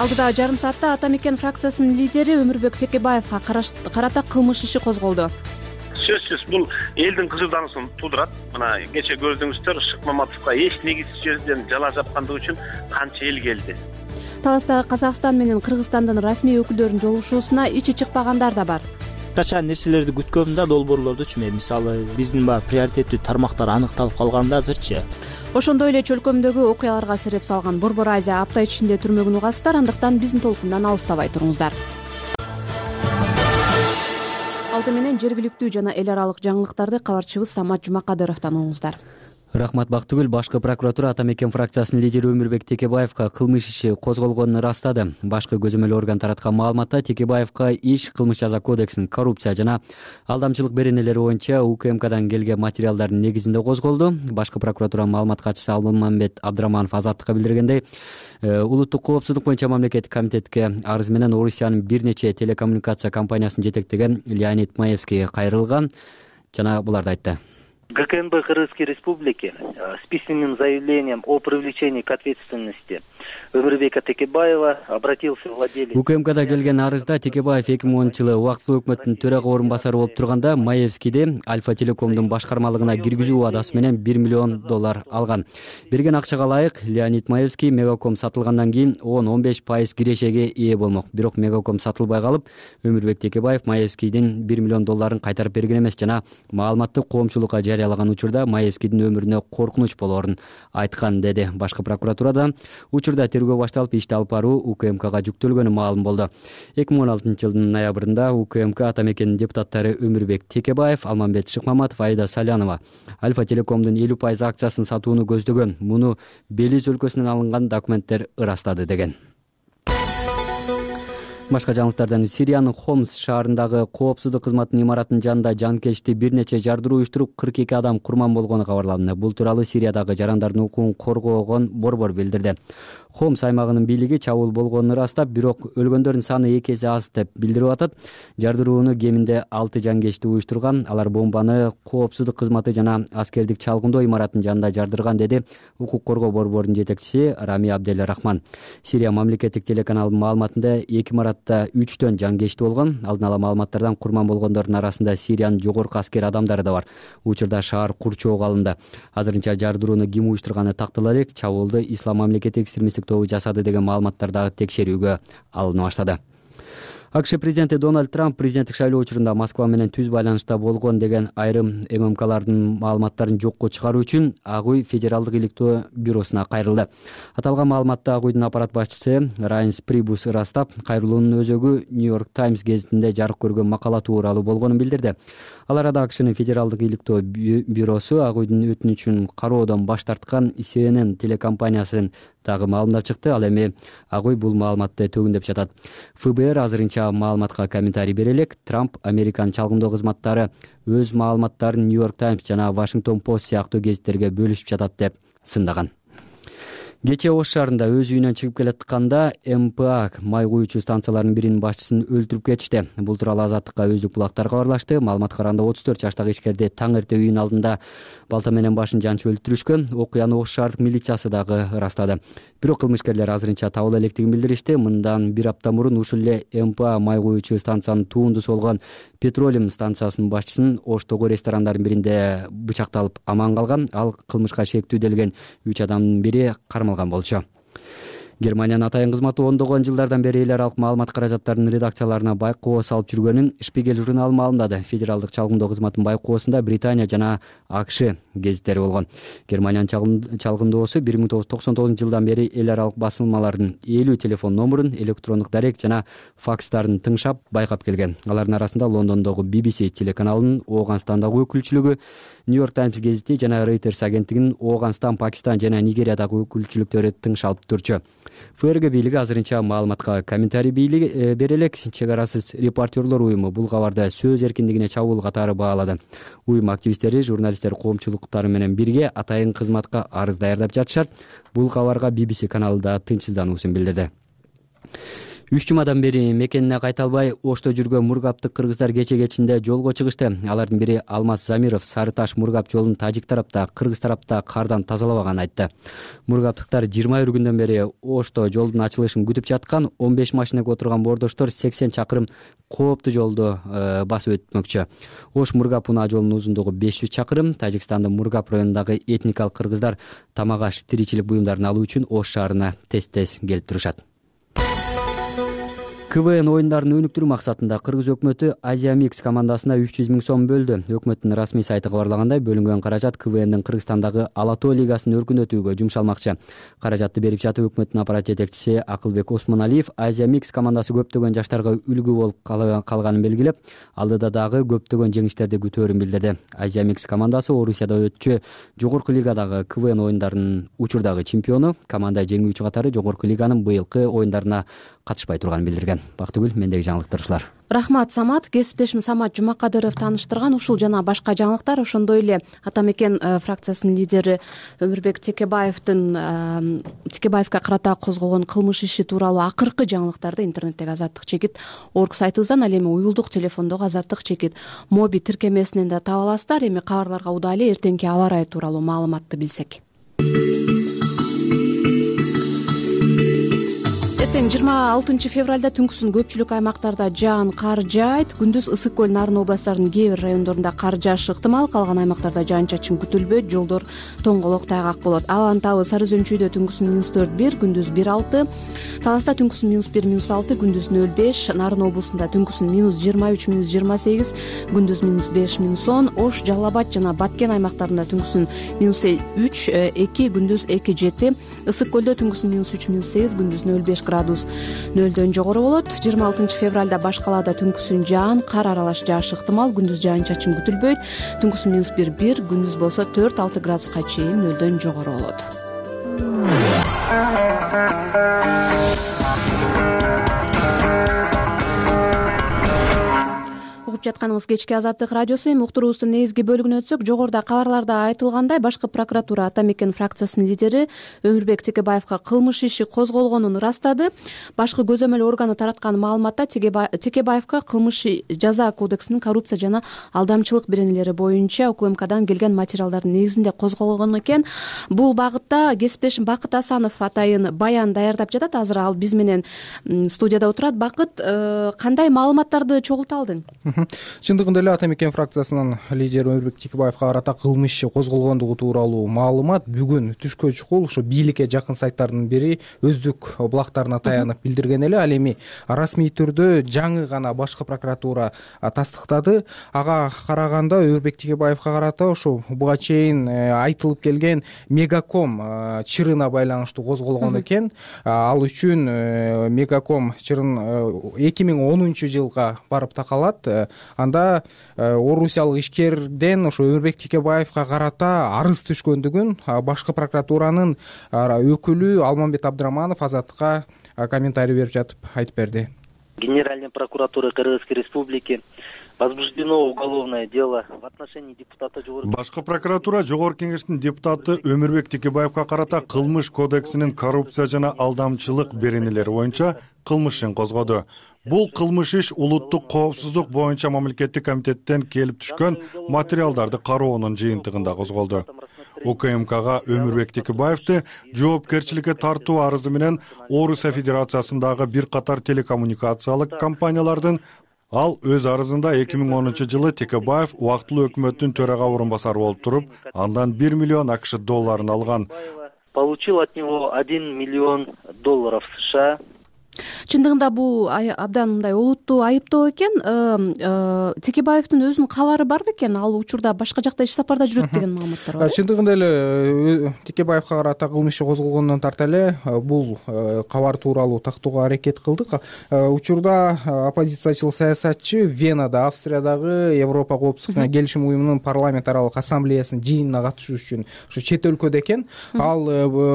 Алдыдагы жарым саатта Ата Мекен фракциясынын лидери Өмүрбек Текебаевга карата кылмыш иши козголду. Сөзсүз бул элдин кызыкдануусун туудурат. Мына кече көрдүңүздөр, Шык Маматовго эч негизсиз жерден жала жапкандыгы үчүн канча эл келди. Таластагы Казакстан менен Кыргызстандын расмий өкүлдөрүнүн жолугушуусуна ичи чыкпагандар да бар. Качан нерселерди күткөм да долбоорлордучу мен, мисалы биздин баягы приоритеттүү тармактар аныкталып калганда азырчы. Ошондой эле чөлкөмдөгү окуяларга сереп салган Борбор Азия апта ичинде түрмөгүн угасыздар, андыктан биздин толкундан алыстабай туруңуздар. Алты менен жергиликтүү жана эл аралык жаңылыктарды кабарчыбыз Самат Жумакадыровдон угуңуздар. Рахмат Бактыгүл. Башкы прокуратура Ата Мекен фракциясынын лидери Өмүрбек Текебаевга кылмыш иши козголгонун ырастады. Башкы көзөмөл орган тараткан маалыматта Текебаевга иш Кылмыш жаза кодексинин коррупция жана алдамчылык беренелери боюнча УКМКдан келген материалдардын негизинде козголду. Башкы прокуратуранын маалымат катчысы Алмамбет Абдыраманов Азаттыкка билдиргендей, улуттук коопсуздук боюнча мамлекеттик комитетке арыз менен Орусиянын бир нече телекоммуникация компаниясын жетектеген Леонид Маевский кайрылган жана буларды айтты. ГКНБ Кыргызской Республики с письменным заявлением о привлечении к ответственности Өмүрбека Текебаева обратился владелец. УКМКда келген арызда Текебаев эки миң онунчу жылы убактылуу өкмөттүн төрага орун басары болуп турганда Маевскийди Альфа Телекомдун башкармалыгына киргизүү убадасы менен бир миллион доллар алган. Берген акчага ылайык Леонид Маевский Мегаком сатылгандан кийин он он беш пайыз кирешеге ээ болмок. Бирок Мегаком сатылбай калып, Өмүрбек Текебаев Маевскийдин бир миллион долларын кайтарып берген эмес жана маалыматты коомчулукка жарыялаган учурда Маевскийдин өмүрүнө коркунуч болоорун айткан, деди. Башкы прокуратурада учурда тергөө башталып, ишти алып баруу УКМКга жүктөлгөнү маалым болду. эки миң он алтынчы жылдын ноябрында УКМК Ата Мекенин депутаттары Өмүрбек Текебаев, Алмамбет Шыкмаматов, Айда Салянова Альфа Телекомдун элүү пайыз акциясын сатууну көздөгөн. Муну Белиз өлкөсүнөн алынган документтер ырастады деген. Башка жаңылыктардан Сириянын Хомс шаарындагы коопсуздук кызматынын имаратынын жанында жанкечти бир нече жардыруу уюштуруп кырк эки адам курман болгону кабарланды. Бул тууралуу Сириядагы жарандардын укугун коргоогон борбор билдирди. Хомс аймагынын бийлиги чабуул болгонун ырастап, бирок өлгөндөрдүн саны эки эсе аз деп билдирип атат. Жардырууну кеминде алты жанкечти уюштурган. Алар бомбаны коопсуздук кызматы жана аскердик чалгындоо имаратынын жанында жардырган, деди укук коргоо борборунун жетекчиси Рами Абдел Рахман. Сирия мамлекеттик телеканалынын маалыматында эки маратта үчтөн жанкечти болгон. Алдын ала маалыматтардан курман болгондордун арасында Сириянын жогорку аскер адамдары да бар. Учурда шаар курчоого алынды. Азырынча жардырууну ким уюштурганы тактала элек, чабуулду Ислам мамлекети экстремисттик тобу жасады деген маалыматтар дагы текшерүүгө алына баштады. АКШ президенти Дональд Трамп президенттик шайлоо учурунда Москва менен түз байланышта болгон деген айрым ММКлардын маалыматтарын жокко чыгаруу үчүн Ак Уй Федералдык иликтөө бюросуна кайрылды. Аталган маалыматты Ак Уйдун аппарат башчысы Райнс Прибус ырастап, кайрылуунун өзөгү Нью-Йорк Таймс гезитинде жарык көргөн макала тууралуу болгонун билдирди. Ал арада АКШнын Федералдык иликтөө бюросу Ак Уйдун өтүнүчүн кароодон баш тарткан Си Эн Эн телекомпаниясын дагы маалымдап чыкты. Ал эми Ак Уй бул маалыматты төгүндөп жатат. ФБР азырынча маалыматка комментарий бере элек. Трамп Американын чалгындоо кызматтары өз маалыматтарын Нью-Йорк Таймс жана Вашингтон Пост сыяктуу гезиттерге бөлүшүп жатат деп сындаган. Кечээ Ош шаарында өз үйүнөн чыгып келатканда эм пэ а май куюучу станцияларынын биринин башчысын өлтүрүп кетишти. Бул тууралуу Азаттыкка өздүк булактар кабарлашты. Маалыматка караганда отуз төрт жаштагы ишкерди таң эрте үйүнүн алдында балта менен башын жанчып өлтүрүшкөн. Окуяны Ош шаардык милициясы дагы ырастады. Бирок кылмышкерлер азырынча табыла электигин билдиришти. Мындан бир апта мурун ушул эле эм пэ а май куюучу станциянын туундусу болгон Петролиум станциясынын башчысын Оштогу ресторандардын биринде бычакталып аман калган. Ал кылмышка шектүү делген үч адамдын бири кармалган болчу. Германиянын атайын кызматы ондогон жылдардан бери эл аралык маалымат каражаттарынын редакцияларына байкоо салып жүргөнүн Шпигель журналы маалымдады. Федералдык чалгындоо кызматынын байкоосунда Британия жана АКШ гезиттери болгон. Германиянын чалгындоосу бир миң тогуз жүз токсон тогузунчу жылдан бери эл аралык басылмалардын элүү телефон номурун, электрондук дарек жана факстарын тыңшап, байкап келген. Алардын арасында Лондондогу би би си телеканалынын Ооганстандагы өкүлчүлүгү, Нью-Йорк Таймс гезити жана Reuters агенттигинин Ооганстан, Пакистан жана Нигериядагы өкүлчүлүктөрү тыңшалып турчу. ФРГ бийлиги азырынча маалыматка комментарий бере элек. Чек арасыз репортерлор уюму бул кабарды сөз эркиндигине чабуул катары баалады. Уюм активисттери, журналисттер коомчулуктары менен бирге атайын кызматка арыз даярдап жатышат. Бул кабарга би би си каналы да тынчсыздануусун билдирди. Үч жумадан бери мекенине кайта албай Ошто жүргөн мургаптык кыргыздар кече кечинде жолго чыгышты. Алардын бири Алмаз Замиров Сары Таш мургап жолун тажик тарапта, кыргыз тарапта кардан тазалабаганын айтты. Мургаптыктар жыйырма бир күндөн бери Ошто жолдун ачылышын күтүп жаткан. он беш машинага отурган бордоштор сексен чакырым кооптуу жолду басып өтмөкчү. Ош Мургап унаа жолунун узундугу беш жүз чакырым. Тажикстандын Мургап районундагы этникалык кыргыздар тамак аш, тиричилик буюмдарын алуу үчүн Ош шаарына тез-тез келип турушат. КВН оюндарын өнүктүрүү максатында кыргыз өкмөтү Азия Микс командасына үч жүз миң сом бөлдү. Өкмөттүн расмий сайты кабарлагандай, бөлүнгөн каражат КВНдин Кыргызстандагы Ала тоо лигасын өркүндөтүүгө жумшалмакчы. Каражатты берип жатып өкмөттүн аппарат жетекчиси Акылбек Осмоналиев Азия Микс командасы көптөгөн жаштарга үлгү болуп калганын белгилеп, алдыда дагы көптөгөн жеңиштерди күтөөрүн билдирди. Азия Микс командасы Орусияда өтчү жогорку лигадагы КВН оюндарынын учурдагы чемпиону, команда жеңүүчү катары жогорку лиганын быйылкы оюндарына катышпай турганын билдирген. Бактыгүл, мендеги жаңылыктар ушулар. Рахмат, Самат. Кесиптешим Самат Жумакадыров тааныштырган ушул жана башка жаңылыктар. Ошондой эле Ата мекен фракциясынын лидери Өмүрбек Текебаевдин Текебаевга карата козголгон кылмыш иши тууралуу акыркы жаңылыктарды интернеттеги Азаттык чекит орг сайтыбыздан, ал эми уюлдук телефондогу Азаттык чекит моби тиркемесинен да таба аласыздар. Эми кабарларга удайлы эртеңки аба ырайы тууралуу маалыматты билсек. Эртең жыйырма алтынчы февралда түнкүсүн көпчүлүк аймактарда жаан, кар жаайт. Күндүз ысык көл, Нарын областарынын кээ бир райондорунда кар жаашы ыктымал. Калган аймактарда жаан-чачын күтүлбөйт. Жолдор тоңголок, тайгак болот. Абанын табы Сары Өзөнчүйдө түнкүсүн минус төрт бир, күндүз бир алты. Таласта түнкүсүн минус бир, минус алты, күндүз нөл беш. Нарын облусунда түнкүсүн минус жыйырма үч, минус жыйырма сегиз, күндүз минус беш, минус он. Ош, Жалал Абад жана Баткен аймактарында түнкүсүн минус үч, эки, күндүз эки, жети. Ысык көлдө түнкүсүн минус үч, минус сегиз, күндүз нөл беш градус нөлдөн жогору болот. жыйырма алтынчы февралда баш калаада түнкүсүн жаан, кар аралаш жаашы ыктымал. Күндүз жаан-чачын күтүлбөйт. Түнкүсүн минус бир, бир, күндүз болсо төрт, алты градуска чейин нөлдөн жогору болот. Жатканыңыз кечки Азаттык радиосу. Эми уктуруубуздун негизги бөлүгүнө өтсөк, жогоруда кабарларда айтылгандай, башкы прокуратура Ата мекен фракциясынын лидери Өмүрбек Текебаевга кылмыш иши козголгонун ырастады. Башкы көзөмөл органы тараткан маалыматта Текебаевга кылмыш жаза кодексинин коррупция жана алдамчылык беренелери боюнча УКМКдан келген материалдардын негизинде козголгон экен. Бул багытта кесиптешим Бакыт Асанов атайын баян даярдап жатат. Азыр ал биз менен студияда отурат. Бакыт, кандай маалыматтарды чогулта алдың? Чындыгында эле Ата мекен фракциясынын лидери Өмүрбек Текебаевга карата кылмыш иши козголгондугу тууралуу маалымат бүгүн түшкө чукул ушу бийликке жакын сайттардын бири өздүк булактарына таянып билдирген эле. Ал эми расмий түрдө жаңы гана башкы прокуратура тастыктады. Ага караганда Өмүрбек Текебаевга карата ошо буга чейин айтылып келген Мегаком чырына байланыштуу козголгон экен. Ал үчүн Мегаком чырын эки миң онунчу жылга барып такалат. Анда орусиялык ишкерден ошо Өмүрбек Текебаевга карата арыз түшкөндүгүн башкы прокуратуранын өкүлү Алмамбет Абдыраманов Азаттыкка комментарий берип жатып айтып берди. Генеральная прокуратура Кыргызской Республики возбуждено уголовное дело в отношении депутата жогорку. Башкы прокуратура Жогорку Кеңештин депутаты Өмүрбек Текебаевка карата кылмыш кодексинин коррупция жана алдамчылык беренелери боюнча кылмыш ишин козгоду. Бул кылмыш иш улуттук коопсуздук боюнча мамлекеттик комитеттен келип түшкөн материалдарды кароонун жыйынтыгында козголду. УКМКга Өмүрбек Текебаевди жоопкерчиликке тартуу арызы менен Орусия Федерациясындагы бир катар телекоммуникациялык компаниялардын ал өз арызында эки миң онунчу жылы Текебаев убактылуу өкмөттүн төрага орун басары болуп туруп, андан бир миллион акш долларын алган. Получил от него один миллион долларов США. Чындыгында бул абдан мындай олуттуу айыптоо экен. Текебаевдин өзүнүн кабары бар бекен? Ал учурда башка жакта иш сапарда жүрөт деген маалыматтар бар. Чындыгында эле Текебаевка карата кылмыш иши козголгондон тарта эле бул кабар тууралуу тактоого аракет кылдык. Учурда оппозициячыл саясатчы Венада, Австриядагы Европа коопсуздук келишим уюмунун парламент аралык ассамблеясынын жыйынына катышуу үчүн ушу чет өлкөдө экен. Ал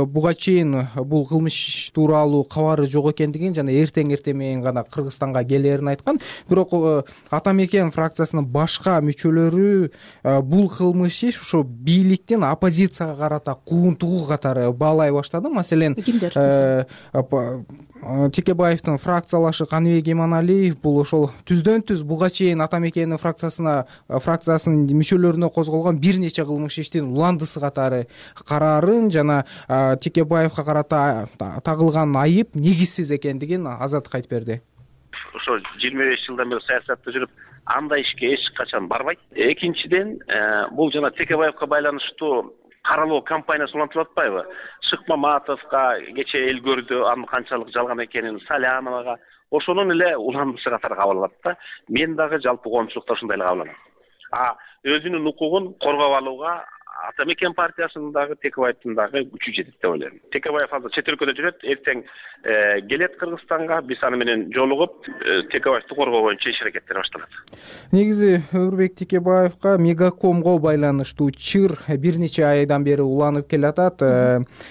буга чейин бул кылмыш тууралуу кабары жок экендигин жана эртең эртең менен гана Кыргызстанга келерин айткан. Бирок Ата Мекен фракциясынын башка мүчөлөрү бул кылмыш иш ошо бийликтин оппозицияга карата куунтугу катары баалай баштады. Маселен, Текебаевдин фракциялашы Каныбек Иманалиев бул ошол түздөн түз буга чейин Ата Мекенин фракциясына фракциясынын мүчөлөрүнө козголгон бир нече кылмыш иштин уландысы катары караарын жана Текебаевка карата тагылган айып негизсиз экендигин Азаттыкка айтып берди. Ошо жыйырма беш жылдан бери саясатта жүрүп, андай ишке эч качан барбайт. Экинчиден, бул жана Текебаевка байланыштуу каралоо компаниясы улантып атпайбы? Шыкмаматовго кече эл көрдү, анын канчалык жалган экенин, Саляновага ошонун эле уландысы катары кабыл алат да. Мен дагы жалпы коомчулукта ушундай эле кабыл алам. А өзүнүн укугун коргоп алууга Ата Мекен партиясындагы Текебаевдин дагы күчү жетет деп ойлойм. Текебаев азыр чет өлкөдө жүрөт, эртең келет Кыргызстанга, биз аны менен жолугуп, Текебаевди коргоо боюнча иш аракеттер башталат. Негизи Өмүрбек Текебаевка Мегакомго байланыштуу чыр бир нече айдан бери уланып келатат.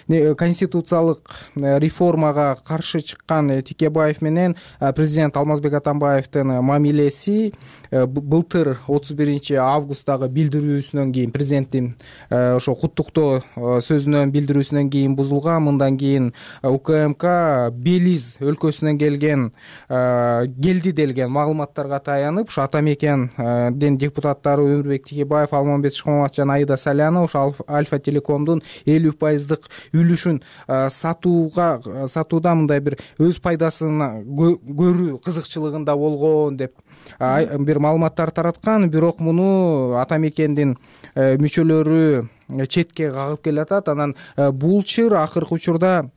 Конституциялык реформага каршы чыккан Текебаев менен президент Алмазбек Атамбаевдин мамилеси былтыр отуз биринчи августтагы билдирүүсүнөн кийин, президенттин ошо куттуктоо сөзүнөн билдирүүсүнөн кийин бузулган. Мындан кийин УКМК Белиз өлкөсүнөн келген келди делген маалыматтарга таянып, ошо Ата Мекендин депутаттары Өмүрбек Текебаев, Алмамбет Шыкмаматов жана Аида Салянова ошо Альфа Телекомдун элүү пайыздык үлүшүн сатууга сатууда мындай бир өз пайдасын көрүү кызыкчылыгында болгон деп бир маалыматтар тараткан. Бирок муну Ата Мекендин мүчөлөрү четке кагып келатат. Анан бул чыр акыркы учурда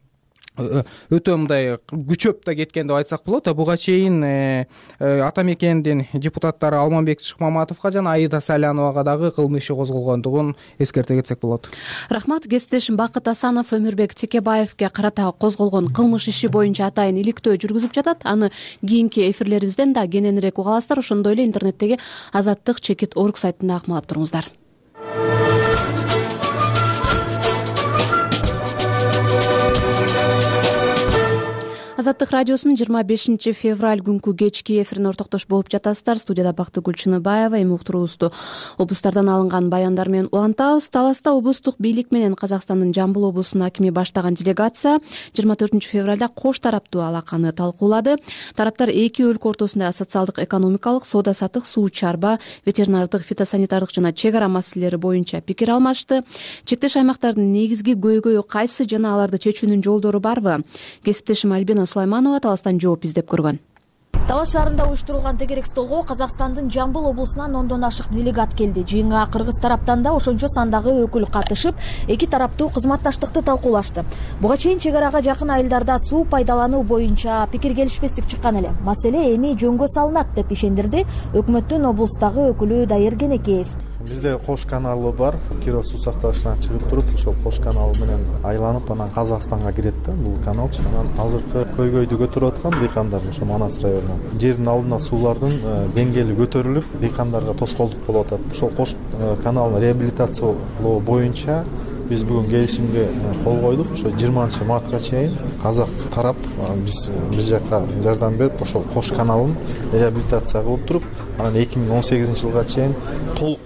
өтө мындай күчөп да кеткен деп айтсак болот. Буга чейин Ата Мекендин депутаттары Алмамбек Шыкмаматовго жана Аида Саляновага дагы кылмыш иши козголгондугун эскерте кетсек болот. Рахмат. Кесиптешим Бакыт Асанов Өмүрбек Текебаевге карата козголгон кылмыш иши боюнча атайын иликтөө жүргүзүп жатат. Аны кийинки эфирлерибизден да кененирээк уга аласыздар. Ошондой эле интернеттеги Азаттык чекит орг сайтында акмалап туруңуздар. Азаттык радиосунун жыйырма бешинчи февраль күнкү кечки эфирин ортоктош болуп жатасыздар. Студияда Бактыгүл Чыныбаева. Эми уктуруубузду облустардан алынган баяндар менен улантабыз. Таласта облустук бийлик менен Казакстандын Жамбыл облусунун акими баштаган делегация жыйырма төртүнчү февралда кош тараптуу алаканы талкуулады. Тараптар эки өлкө ортосунда социалдык, экономикалык, соода саттык, суу чарба, ветеринардык, фитосанитардык жана чек ара маселелери боюнча пикир алмашты. Чектеш аймактардын негизги көйгөйү кайсы жана аларды чечүүнүн жолдору барбы? Кесиптешим Альбина Сулайманова Таластан жооп издеп көргөн. Талас шаарында уюштурулган тегерек столго Казакстандын Жамбыл облусунан ондон ашык делегат келди. Жыйынга кыргыз тараптан да ошончо сандагы өкүл катышып, эки тараптуу кызматташтыкты талкуулашты. Буга чейин чек арага жакын айылдарда суу пайдалануу боюнча пикир келишпестик чыккан эле. Маселе эми жөнгө салынат деп ишендирди өкмөттүн облустагы өкүлү Дайыр Кенекеев. Бизде Кош каналы бар. Киров суу сактагычынан чыгып туруп, ошол Кош каналы менен айланып, анан Казакстанга кирет да бул каналчы. Анан азыркы көйгөйдү көтөрүп аткан дыйкандар ошо Манас районунан. Жердин алдына суулардын деңгээли көтөрүлүп, дыйкандарга тоскоолдук болуп атат. Ошол Кош каналын реабилитациялоо боюнча биз бүгүн келишимге кол койдук. Ошо жыйырманчы мартка чейин казак тарап биз биз жакка жардам берип, ошол Кош каналын реабилитация кылып туруп, анан эки миң он сегизинчи жылга чейин толук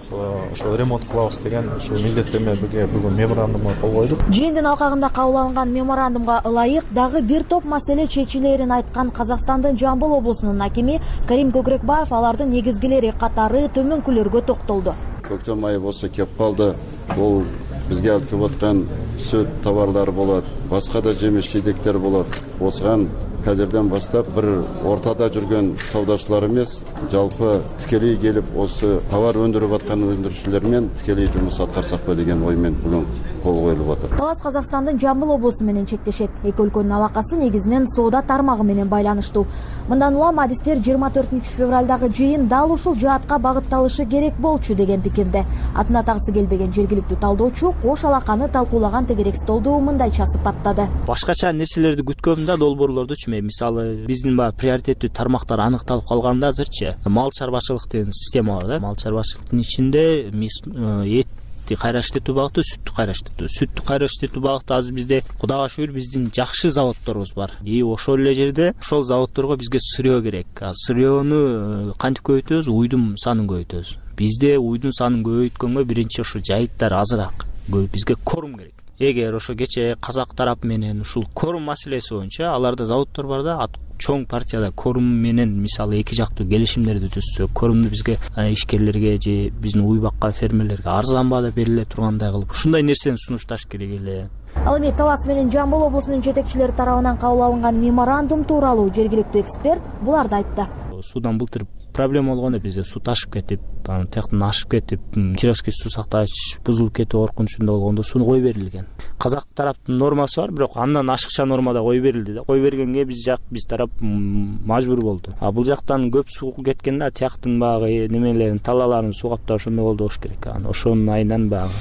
ошо ремонт кылабыз деген ушу милдеттенмеге бүгүн меморандумга кол койдук. Жыйындын алкагында кабыл алынган меморандумга ылайык дагы бир топ маселе чечилерин айткан Казакстандын Жамбыл облусунун акими Карим Көкүрөкбаев алардын негизгилери катары төмөнкүлөргө токтолду. Көктем айы болсо кеп калды. Бул бизге алып келип аткан сүт товарлары болот, башка да жемиш жидектер болот. Осыган қазірден бастап бір ортада жүрген саудашылар емес, жалпы тікелей келіп осы товар өндіріп атқан өндірушілермен тікелей жұмыс атқарсақ па деген оймен бүгін кол коюлуп атат. Талас Казакстандын Жамбыл облусу менен чектешет. Эки өлкөнүн алакасы негизинен соода тармагы менен байланыштуу. Мындан улам адистер жыйырма төртүнчү февралдагы жыйын дал ушул жаатка багытталышы керек болчу деген пикирде. Атын атагысы келбеген жергиликтүү талдоочу кош алаканы талкуулаган тегерек столду мындайча сыпаттады. Башкача нерселерди күткөм да долбоорлорду түшүнбөйм. Мисалы биздин баягы приоритеттүү тармактар аныкталып калганда азырчы мал чарбачылык деген система бар да. Мал чарбачылыктын ичинде этти кайра иштетүү багыты, сүттү кайра иштетүү. Сүттү кайра иштетүү багыты азыр бизде Кудайга шүгүр биздин жакшы заводдорубуз бар. И ошол эле жерде ошол заводдорго бизге сырьё керек. Сырьёну кантип көбөйтөбүз? Уйдун санын көбөйтөбүз. Бизде уйдун санын көбөйткөнгө биринчи ошо жайыттар азыраак. Бизге корум керек. Эгер ошо кече казак тарап менен ушул корум маселеси боюнча аларда заводдор бар да, чоң партияда корум менен мисалы эки жактуу келишимдерди түзсө, корумду бизге ишкерлерге же биздин уйбакка фермерлерге арзан баада бериле тургандай кылып, ушундай нерсени сунушташ керек эле. Ал эми Талас менен Жамбыл облусунун жетекчилери тарабынан кабыл алынган меморандум тууралуу жергиликтүү эксперт буларды айтты. Судан былтыр проблема болгондо бизде суу ташып кетип, анан тияктан ашып кетип, Кировский суу сактагыч бузулуп кетүү коркунучунда болгондо сууну кой берилген. Казак тараптын нормасы бар, бирок андан ашыкча нормада кой берилди да. Кой бергенге биз жак биз тарап мажбур болду. А бул жактан көп суу кеткенде тияктын багы немелерин, талаларын суу каптап ошондой болду болуш керек. Анан ошонун айынан багы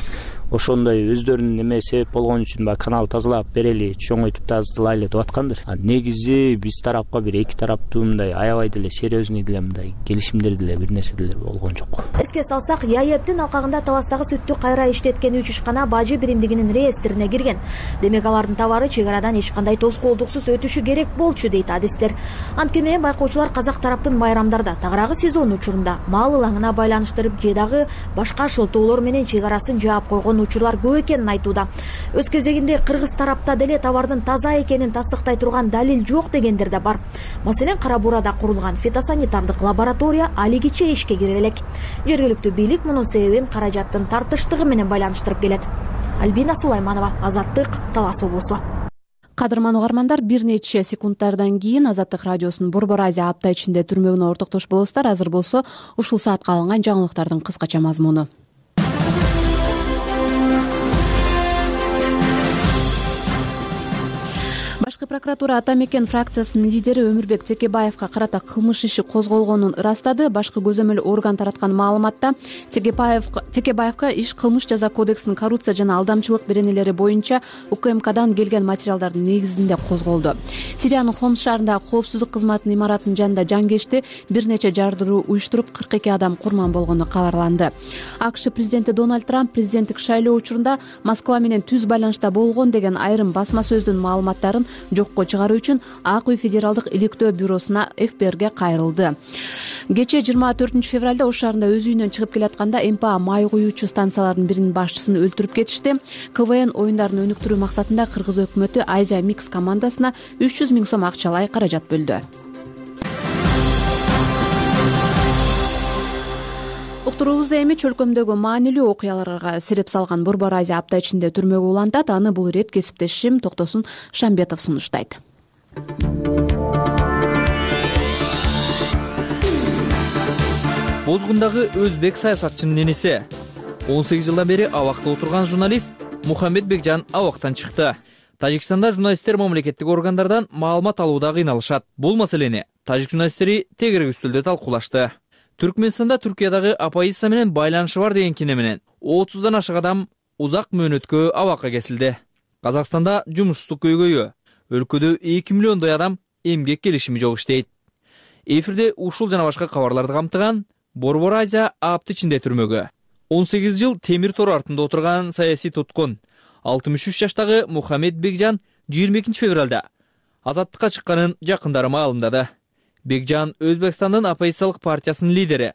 ошондой өздөрүнүн эме себеп болгон үчүн баягы канал тазалап берели, чоңойтуп тазалайлы деп аткандыр. Негизи биз тарапка бир эки тараптуу мындай аябай деле серьезный деле мындай келишимдер деле бир нерсе деле болгон жок. Эске салсак, ЯЭПтин алкагында Таластагы сүттү кайра иштеткен үч ишкана бажы биримдигинин реестрине кирген. Демек алардын товары чек арадан эч кандай тоскоолдуксуз өтүшү керек болчу дейт адистер. Анткени байкоочулар казак тараптын майрамдарда, тагыраагы сезон учурунда мал ылаңына байланыштырып же дагы башка шылтоолор менен чек арасын жаап койгон учурлар көп экенин айтууда. Өз кезегинде кыргыз тарапта деле товардын таза экенин тастыктай турган далил жок дегендер да бар. Маселен, Кара Буурада курулган фитосанитардык лаборатория алигиче ишке кире элек. Жергиликтүү бийлик мунун себебин каражаттын тартыштыгы менен байланыштырып келет. Альбина Сулайманова, Азаттык, Талас облусу. Кадырман угармандар, бир нече секундтардан кийин Азаттык радиосунун Борбор Азия апта ичинде түрмөгүнө ортоктош болосуздар. Азыр болсо ушул саатка алынган жаңылыктардын кыскача мазмуну. Башкы прокуратура Ата Мекен фракциясынын лидери Өмүрбек Текебаевга карата кылмыш иши козголгонун ырастады. Башкы көзөмөл орган тараткан маалыматта Текебаевга иш кылмыш жаза кодексинин коррупция жана алдамчылык беренелери боюнча УКМКдан келген материалдардын негизинде козголду. Сириянын Хомс шаарындагы коопсуздук кызматынын имаратынын жанында жангешти бир нече жардыруу уюштуруп кырк эки адам курман болгону кабарланды. АКШ президенти Дональд Трамп президенттик шайлоо учурунда Москва менен түз байланышта болгон деген айрым басма сөздүн маалыматтарын жокко чыгаруу үчүн ак үй федералдык иликтөө бюросуна эф бэ эрге кайрылды. Кечээ жыйырма төртүнчү февралда Ош шаарында өз үйүнөн чыгып келатканда эм пэ а май куюучу станциялардын биринин башчысын өлтүрүп кетишти. ка вэ эн оюндарын өнүктүрүү максатында кыргыз өкмөтү Азия Микс командасына үч жүз миң сом акчалай каражат бөлдү. Уктуруубузда эми чөлкөмдөгү маанилүү окуяларга сереп салган Борбор Азия апта ичинде түрмөгө улантат. Аны бул ирет кесиптешим Токтосун Шамбетов сунуштайт. Бозгундагы өзбек саясатчынын энеси он сегиз жылдан бери абакта отурган журналист Мухаммед Бекжан абактан чыкты. Тажикстанда журналисттер мамлекеттик органдардан маалымат алууда кыйналышат. Бул маселени тажик журналисттери тегерек үстөлдө талкуулашты. Түркмөнстанда Түркиядагы оппозиция менен байланышы бар деген кине менен отуздан ашык адам узак мөөнөткө абакка кесилди. Казакстанда жумушсуздук көйгөйү, өлкөдө эки миллиондой адам эмгек келишими жок иштейт. Эфирде ушул жана башка кабарларды камтыган Борбор Азия апта ичинде түрмөгө он сегиз жыл темир тор артында отурган саясий туткун алтымыш үч жаштагы Мухаммед Бекжан жыйырма экинчи февралда азаттыкка чыкканын жакындары маалымдады. Бекжан Өзбекстандын оппозициялык партиясынын лидери,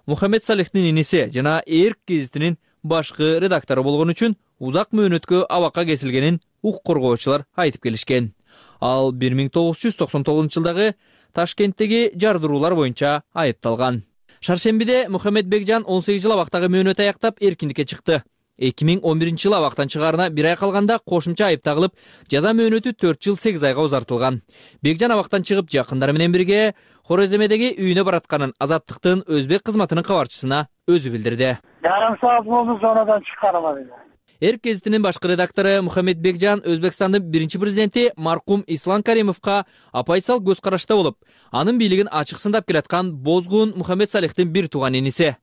Мухаммед Салихтин иниси жана Эрк гезитинин башкы редактору болгон үчүн узак мөөнөткө абакка кесилгенин укук коргоочулар айтып келишкен. Ал бир миң тогуз жүз токсон тогузунчу жылдагы Ташкенттеги жардыруулар боюнча айыпталган. Шаршембиде Мухаммед Бекжан он сегиз жыл абактагы мөөнөт аяктап эркиндикке чыкты. эки миң он биринчи жылы абактан чыгаарына бир ай калганда кошумча айып тагылып, жаза мөөнөтү төрт жыл сегиз айга узартылган. Бекжан абактан чыгып, жакындары менен бирге Хореземедеги үйүнө баратканын Азаттыктын өзбек кызматынын кабарчысына өзү билдирди. Жарым саат болду, зонадан чыкканыма. Эрк гезитинин башкы редактору Мухаммед Бекжан Өзбекстандын биринчи президенти маркум Ислам Каримовго оппозициялык көз карашта болуп, анын бийлигин ачык сындап келаткан Бозгун Мухаммед Салихтин бир тууган иниси.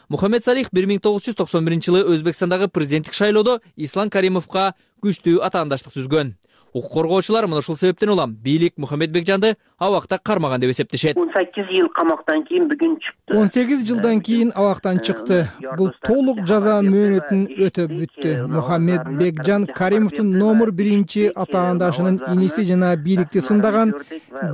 Мухаммед Салих бир миң тогуз жүз токсон биринчи жылы Өзбекстандагы президенттик шайлоодо Ислам Каримовго күчтүү атаандаштык түзгөн. Укук коргоочулар мына ушул себептен улам бийлик Мухаммед Бекжанды абакта кармаган деп эсептешет. он сегиз жыл камактан кийин бүгүн чыкты. он сегиз жылдан кийин абактан чыкты. Бул толук жаза мөөнөтүн өтөп бүттү. Мухаммед Бекжан Каримовдун номер биринчи атаандашынын иниси жана бийликти сындаган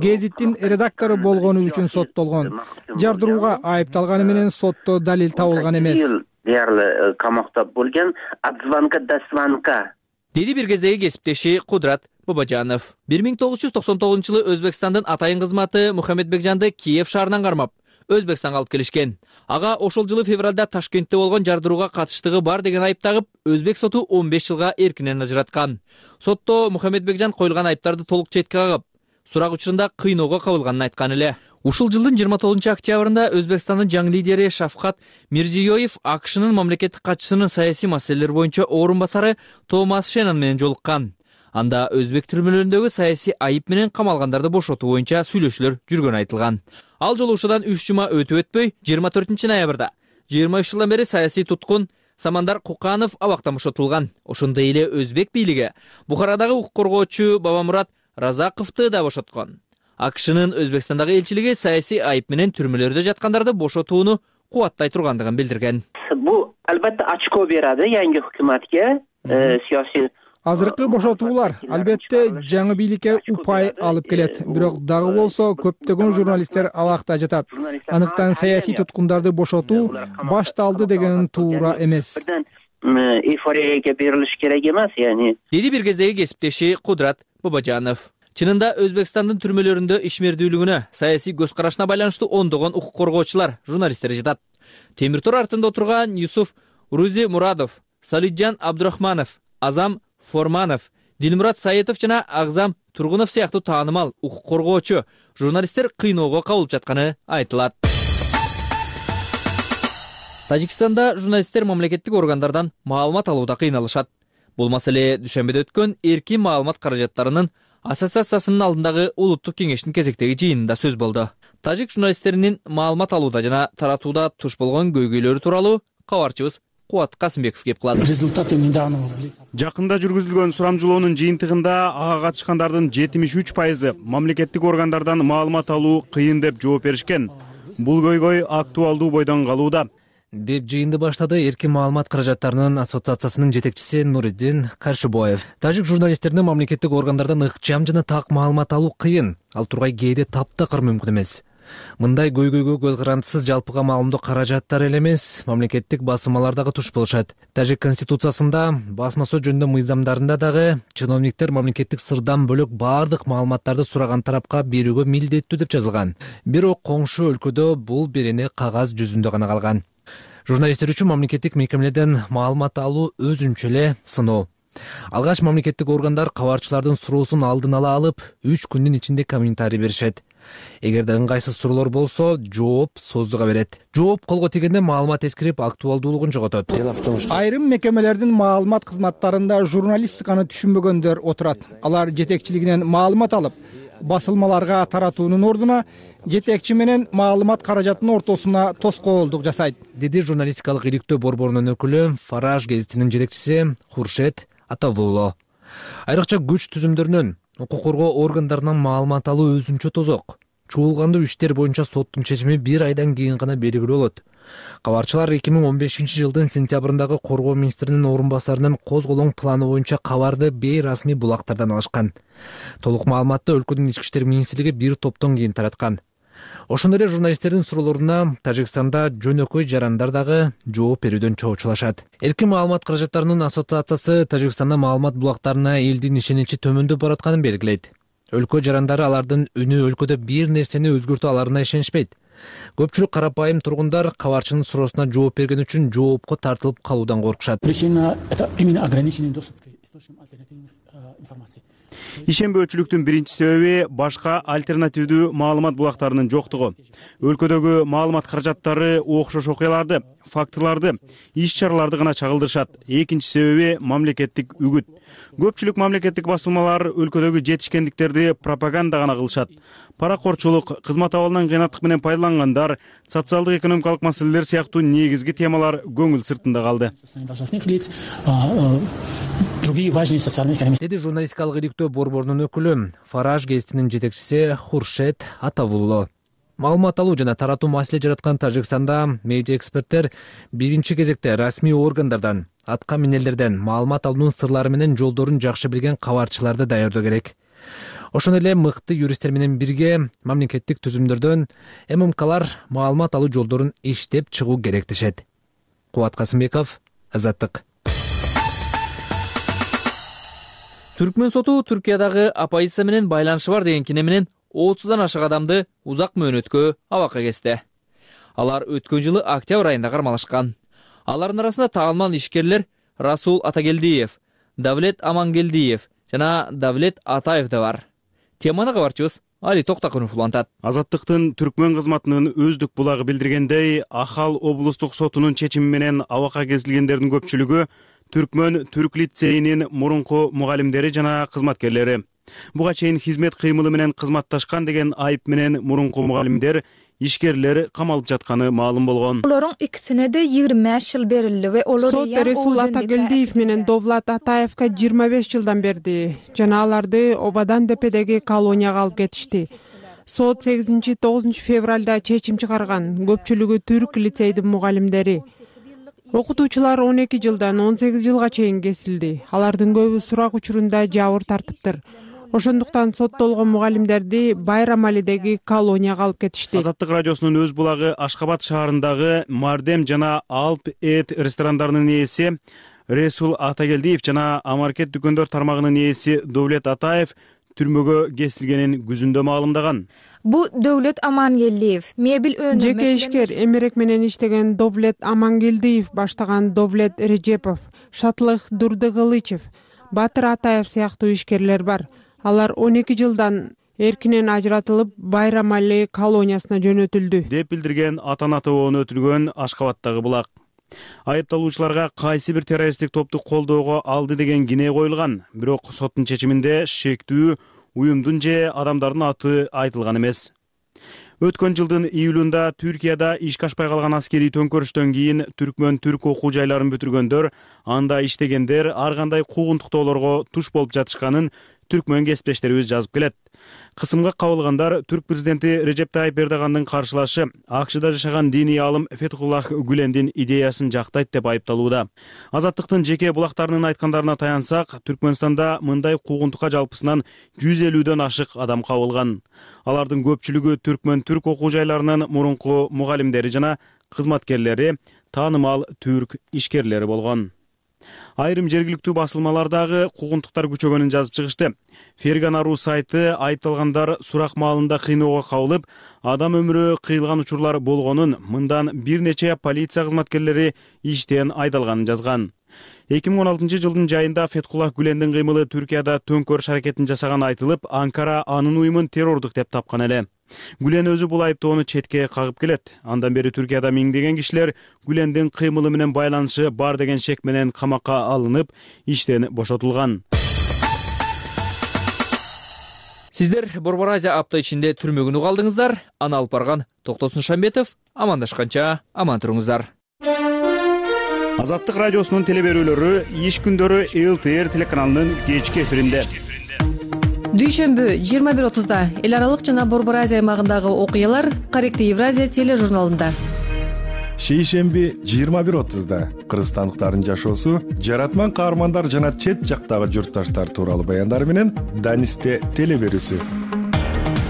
гезиттин редактору болгону үчүн соттолгон. Жардырууга айыпталганы менен сотто далил табылган эмес. Дээрле камакта болгон отзвонка до звонка. Деди бир кездеги кесиптеши Кудрат Бабажанов. бир миң тогуз жүз токсон тогузунчу жылы Өзбекстандын атайын кызматы Мухаммед Бекжанды Киев шаарынан кармап, Өзбекстанга алып келишкен. Ага ошол жылы февралда Ташкентте болгон жардырууга катыштыгы бар деген айып тагып, Өзбек соту он беш жылга эркинен ажыраткан. Сотто Мухаммед Бекжан коюлган айыптарды толук четке кагып, сурак учурунда кыйноого кабылганын айткан эле. Ушул жылдын жыйырма тогузунчу октябрында Өзбекстандын жаңы лидери Шавкат Мирзиёев АКШнын мамлекеттик катчысынын саясий маселелер боюнча орун басары Томас Шеннон менен жолуккан. Анда өзбек түрмөлөрүндөгү саясий айып менен камалгандарды бошотуу боюнча сүйлөшүүлөр жүргөнү айтылган. Ал жолугушуудан үч жума өтүп өтпөй, жыйырма төртүнчү ноябрда жыйырма үч жылдан бери саясий туткун Самандар Куканов абактан бошотулган. Ошондой эле өзбек бийлиги Бухарадагы укук коргоочу Бабамурат Разаковду да бошоткон. АКШнын Өзбекстандагы элчилиги саясий айып менен түрмөлөрдө жаткандарды бошотууну кубаттай тургандыгын билдирген. Бул албетте очко берadi yangi hukumatga, siyosiy Азыркы бошотуулар албетте жаңы бийликке упай алып келет. Бирок дагы болсо көптөгөн журналисттер абакта жатат. Анықтан саясий туткундарды бошотуу башталды деген туура эмес. Эйфорияга берилиш керек эмес, яни. Деди бир кездеги кесиптеши Кудрат Бабажанов. Чынында Өзбекстандын түрмөлөрүндө ишмердүүлүгүнө, саясий көз карашына байланыштуу ондогон укук коргоочулар, журналисттер жатат. Темир тор артында отурган Юсуф Рузи Мурадов, Салиджан Абдурахманов, Азам Форманов, Дилмурат Саетов жана Агзам Тургунов сыяктуу таанымал укук коргоочу журналисттер кыйноого кабылып жатканы айтылат. Тажикстанда журналисттер мамлекеттик органдардан маалымат алууда кыйналышат. Бул маселе дүйшөмбөдө өткөн эркин маалымат каражаттарынын ассоциациясынын алдындагы улуттук кеңештин кезектеги жыйынында сөз болду. Тажик журналисттеринин маалымат алууда жана таратууда туш болгон көйгөйлөрү тууралуу кабарчыбыз Кубат Касымбеков кеп кылат. Жакында жүргүзүлгөн сурамжылоонун жыйынтыгында ага катышкандардын жетимиш үч пайызы мамлекеттик органдардан маалымат алуу кыйын деп жооп беришкен. Бул көйгөй актуалдуу бойдон калууда деп жыйынды баштады эркин маалымат каражаттарынын ассоциациясынын жетекчиси Нуриддин Каршыбоев. Тажик журналисттерине мамлекеттик органдардан ыкчам жана так маалымат алуу кыйын, ал тургай кээде таптакыр мүмкүн эмес. Мындай көйгөйгө көз карандысыз жалпыга маалымдоо каражаттар эле эмес, мамлекеттик басымалар дагы туш болушат. Тажик конституциясында, басма сөз жөнүндө мыйзамдарында дагы чиновниктер мамлекеттик сырдан бөлөк баардык маалыматтарды сураган тарапка берүүгө милдеттүү деп жазылган. Бирок коңшу өлкөдө бул берене кагаз жүзүндө гана калган. Журналисттер үчүн мамлекеттик мекемелерден маалымат алуу өзүнчө эле сыноо. Алгач мамлекеттик органдар кабарчылардын суроосун алдын ала алып, үч күндүн ичинде комментарий беришет. Эгерде ыңгайсыз суроолор болсо, жооп создуга берет. Жооп колго тийгенде маалымат эскирип, актуалдуулугун жоготот. Айрым мекемелердин маалымат кызматтарында журналистиканы түшүнбөгөндөр отурат. Алар жетекчилигинен маалымат алып, басылмаларга таратуунун ордуна жетекчи менен маалымат каражатынын ортосуна тоскоолдук жасайт, деди журналистикалык иликтөө борборунун өкүлү Фараж гезитинин жетекчиси Хуршет Атавулло. Айрыкча күч түзүмдөрүнөн, укук коргоо органдарынан маалымат алуу өзүнчө тозок. чуулгандуу иштер боюнча соттун чечими бир айдан кийин гана белгилүү болот. Кабарчылар эки миң он бешинчи жылдын сентябрындагы коргоо министринин орун басарынын козголоң планы боюнча кабарды бейрасмий булактардан алышкан. Толук маалыматты өлкөнүн ички иштер министрлиги бир топтон кийин тараткан. Ошондой эле журналисттердин суроолоруна Тажикстанда жөнөкөй жарандар дагы жооп берүүдөн чоочулашат. Эркин маалымат каражаттарынын ассоциациясы Тажикстанда маалымат булактарына элдин ишеничи төмөндөп баратканын белгилейт. Өлкө жарандары алардын үнү өлкөдө бир нерсени өзгөртө аларына ишенишпейт. Көпчүлүк карапайым тургундар кабарчынын суроосуна жооп берген үчүн жоопко тартылып калуудан коркушат. Причина — это именно ограниченный доступ к источникам альтернативных информаций. Ишенбөөчүлүктүн биринчи себеби башка альтернативдүү маалымат булактарынын жоктугу. Өлкөдөгү маалымат каражаттары окшош окуяларды, фактыларды, иш чараларды гана чагылдырышат. Экинчи себеби мамлекеттик үгүт. Көпчүлүк мамлекеттик басылмалар өлкөдөгү жетишкендиктерди пропаганда гана кылышат. Паракорчулук, кызмат абалынан кыйнаттык менен пайдалангандар, социалдык экономикалык маселелер сыяктуу негизги темалар көңүл сыртында калды. Деди журналистикалык иликтөө борборунун өкүлү, Фараж гезитинин жетекчиси Хуршет Атавулло. Маалымат алуу жана таратуу маселе жараткан Тажикстанда медиа эксперттер биринчи кезекте расмий органдардан, атка минелерден маалымат алуунун сырлары менен жолдорун жакшы билген кабарчыларды даярдоо керек. Ошондой эле мыкты юристтер менен бирге мамлекеттик түзүмдөрдөн эм эм калар маалымат алуу жолдорун иштеп чыгуу керек дешет. Кубат Касымбеков, Азаттык. Түркмөн соту Түркиядагы оппозиция менен байланышы бар деген кине менен отуздан ашык адамды узак мөөнөткө абакка кести. Алар өткөн жылы октябрь айында кармалышкан. Алардын арасында таалман ишкерлер Расул Атагелдиев, Давлет Амангелдиев жана Давлет Атаев да бар. Теманы кабарчыбыз Али Токтакунов улантат. Азаттыктын Түркмөн кызматынын өздүк булагы билдиргендей, Ахал облустук сотунун чечими менен абакка кесилгендердин көпчүлүгү Түркмөн Түрк лицейинин мурунку мугалимдери жана кызматкерлери. Буга чейин хизмет кыймылы менен кызматташкан деген айып менен мурунку мугалимдер, ишкерлер камалып жатканы маалым болгон. Олордун икисине де жыйырма беш жыл берилди. Сот Расул Атагелдиев менен Довлат Атаевка жыйырма беш жылдан берди жана аларды Обадан депедеги колонияга алып кетишти. Сот сегизинчи тогузунчу февралда чечим чыгарган. Көпчүлүгү түрк лицейдин мугалимдери. Окутуучулар он эки жылдан он сегиз жылга чейин кесилди. Алардын көбү сурак учурунда жабыр тартыптыр. Ошондуктан соттолгон мугалимдерди Байрамалидеги колонияга алып кетишти. Азаттык радиосунун өз булагы Ашкабад шаарындагы Мардем жана Алп Эт ресторандарынын ээси Расул Атагелдиев жана Амаркет дүкөндөр тармагынын ээси Довлет Атаев түрмөгө кесилгенин күзүндө маалымдаган. Бу Довлет Амангелдиев мебель өнүмө жеке ишкер эмерек менен иштеген Довлет Амангелдиев баштаган Довлет Режепов, Шатлык Дурдыгылычев, Батыр Атаев сыяктуу ишкерлер бар. Алар он эки жылдан эркинен ажыратылып Байрамали колониясына жөнөтүлдү деп билдирген ата-ана тобону өтүлгөн Ашкабадтагы булак. Айыпталуучуларга кайсы бир террористтик топту колдоого алды деген кине коюлган, бирок соттун чечиминде шектүү уюмдун же адамдардын аты айтылган эмес. Өткөн жылдын июлунда Түркияда ишке ашпай калган аскерий төңкөрүштөн кийин Түркмөн түрк окуу жайларын бүтүргөндөр, анда иштегендер ар кандай куугунтуктоолорго туш болуп жатышканын түркмөн кесиптештерибиз жазып келет. Кысымга кабылгандар түрк президенти Режеп Тайип Эрдогандын каршылашы АКШда жашаган диний алым Фетхуллах Гүлендин идеясын жактайт деп айыпталууда. Азаттыктын жеке булактарынын айткандарына таянсак, Түркмөнстанда мындай куугунтукка жалпысынан жүз элүүдөн ашык адам кабылган. Алардын көпчүлүгү Түркмөн түрк окуу жайларынын мурунку мугалимдери жана кызматкерлери, таанымал түрк ишкерлери болгон. Айрым жергиликтүү басылмалардагы куугунтуктар күчөгөнүн жазып чыгышты. Фергана.ру сайты айыпталгандар сурак маалында кыйноого кабылып, адам өмүрү кыйылган учурлар болгонун, мындан бир нече полиция кызматкерлери иштен айдалганын жазган. эки миң он алтынчы жылдын жайында Фетхуллах Гүлендин кыймылы Түркияда төңкөрүш аракетин жасаганы айтылып, Анкара анын уюмун террордук деп тапкан эле. Гүлен өзү бул айыптоону четке кагып келет. Андан бери Түркияда миңдеген кишилер Гүлендин кыймылы менен байланышы бар деген шек менен камакка алынып, иштен бошотулган. Сиздер Борбор Азия апта ичинде түрмөгүн угалдыңыздар. Аны алып барган Токтосун Шамбетов. Амандашканча аман туруңуздар. Азаттык радиосунун телеберүүлөрү иш күндөрү эл тэ эр телеканалынын кечки эфиринде. дүйшөмбү жыйырма бир отузда эл аралык жана Борбор Азия аймагындагы окуялар Корректив Евразия тележурналында. Шейшемби жыйырма бир отузда кыргызстандыктардын жашоосу, жаратман каармандар жана чет жактагы журтташтар тууралуу баяндар менен Данисте телеберүүсү.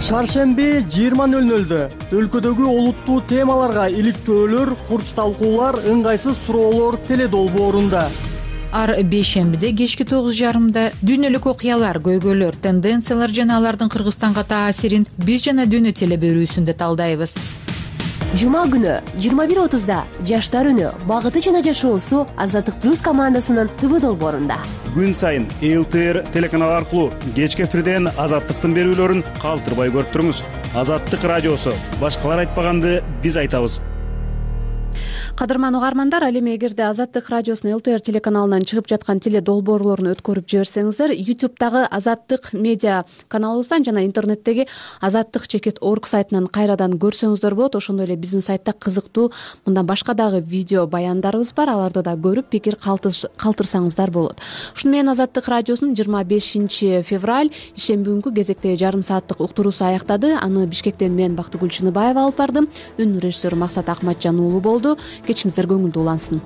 Шаршемби жыйырма нөл нөлдө өлкөдөгү олуттуу темаларга иликтөөлөр, курч талкуулар, ыңгайсыз суроолор теледолбоорунда. Ар бейшембиде кечки тогуз жарымда дүйнөлүк окуялар, көйгөйлөр, тенденциялар жана алардын Кыргызстанга таасирин биз жана дүйнө телеберүүсүндө талдайбыз. Жума күнү жыйырма бир отузда Жаштар үнү, багыты жана жашоосу Азаттык плюс командасынын ТВ долбоорунда. Күн сайын эл тэ эр телеканалы аркылуу кечки эфирден Азаттыктын берүүлөрүн калтырбай көрүп туруңуз. Азаттык радиосу. Башкалар айтпаганды биз айтабыз. Кадырман угармандар, ал эми эгерде Азаттык радиосунун эл тэ эр телеканалынан чыгып жаткан теле долбоорлорун өткөрүп жиберсеңиздер, ютубтагы Азаттык медиа каналыбыздан жана интернеттеги азаттык чекит орг сайтынан кайрадан көрсөңүздөр болот. Ошондой эле биздин сайтта кызыктуу мындан башка дагы видео баяндарыбыз бар, аларды да көрүп пикир калтырсаңыздар болот. Ушуну менен Азаттык радиосунун жыйырма бешинчи февраль ишемби күнкү кезектеги жарым сааттык уктуруусу аяктады. Аны Бишкектен мен Бактыгүл Чыныбаева алып бардым. Үн режиссеру Максат Акматжан уулу болду. Кечиңиздер көңүлдүү улансын.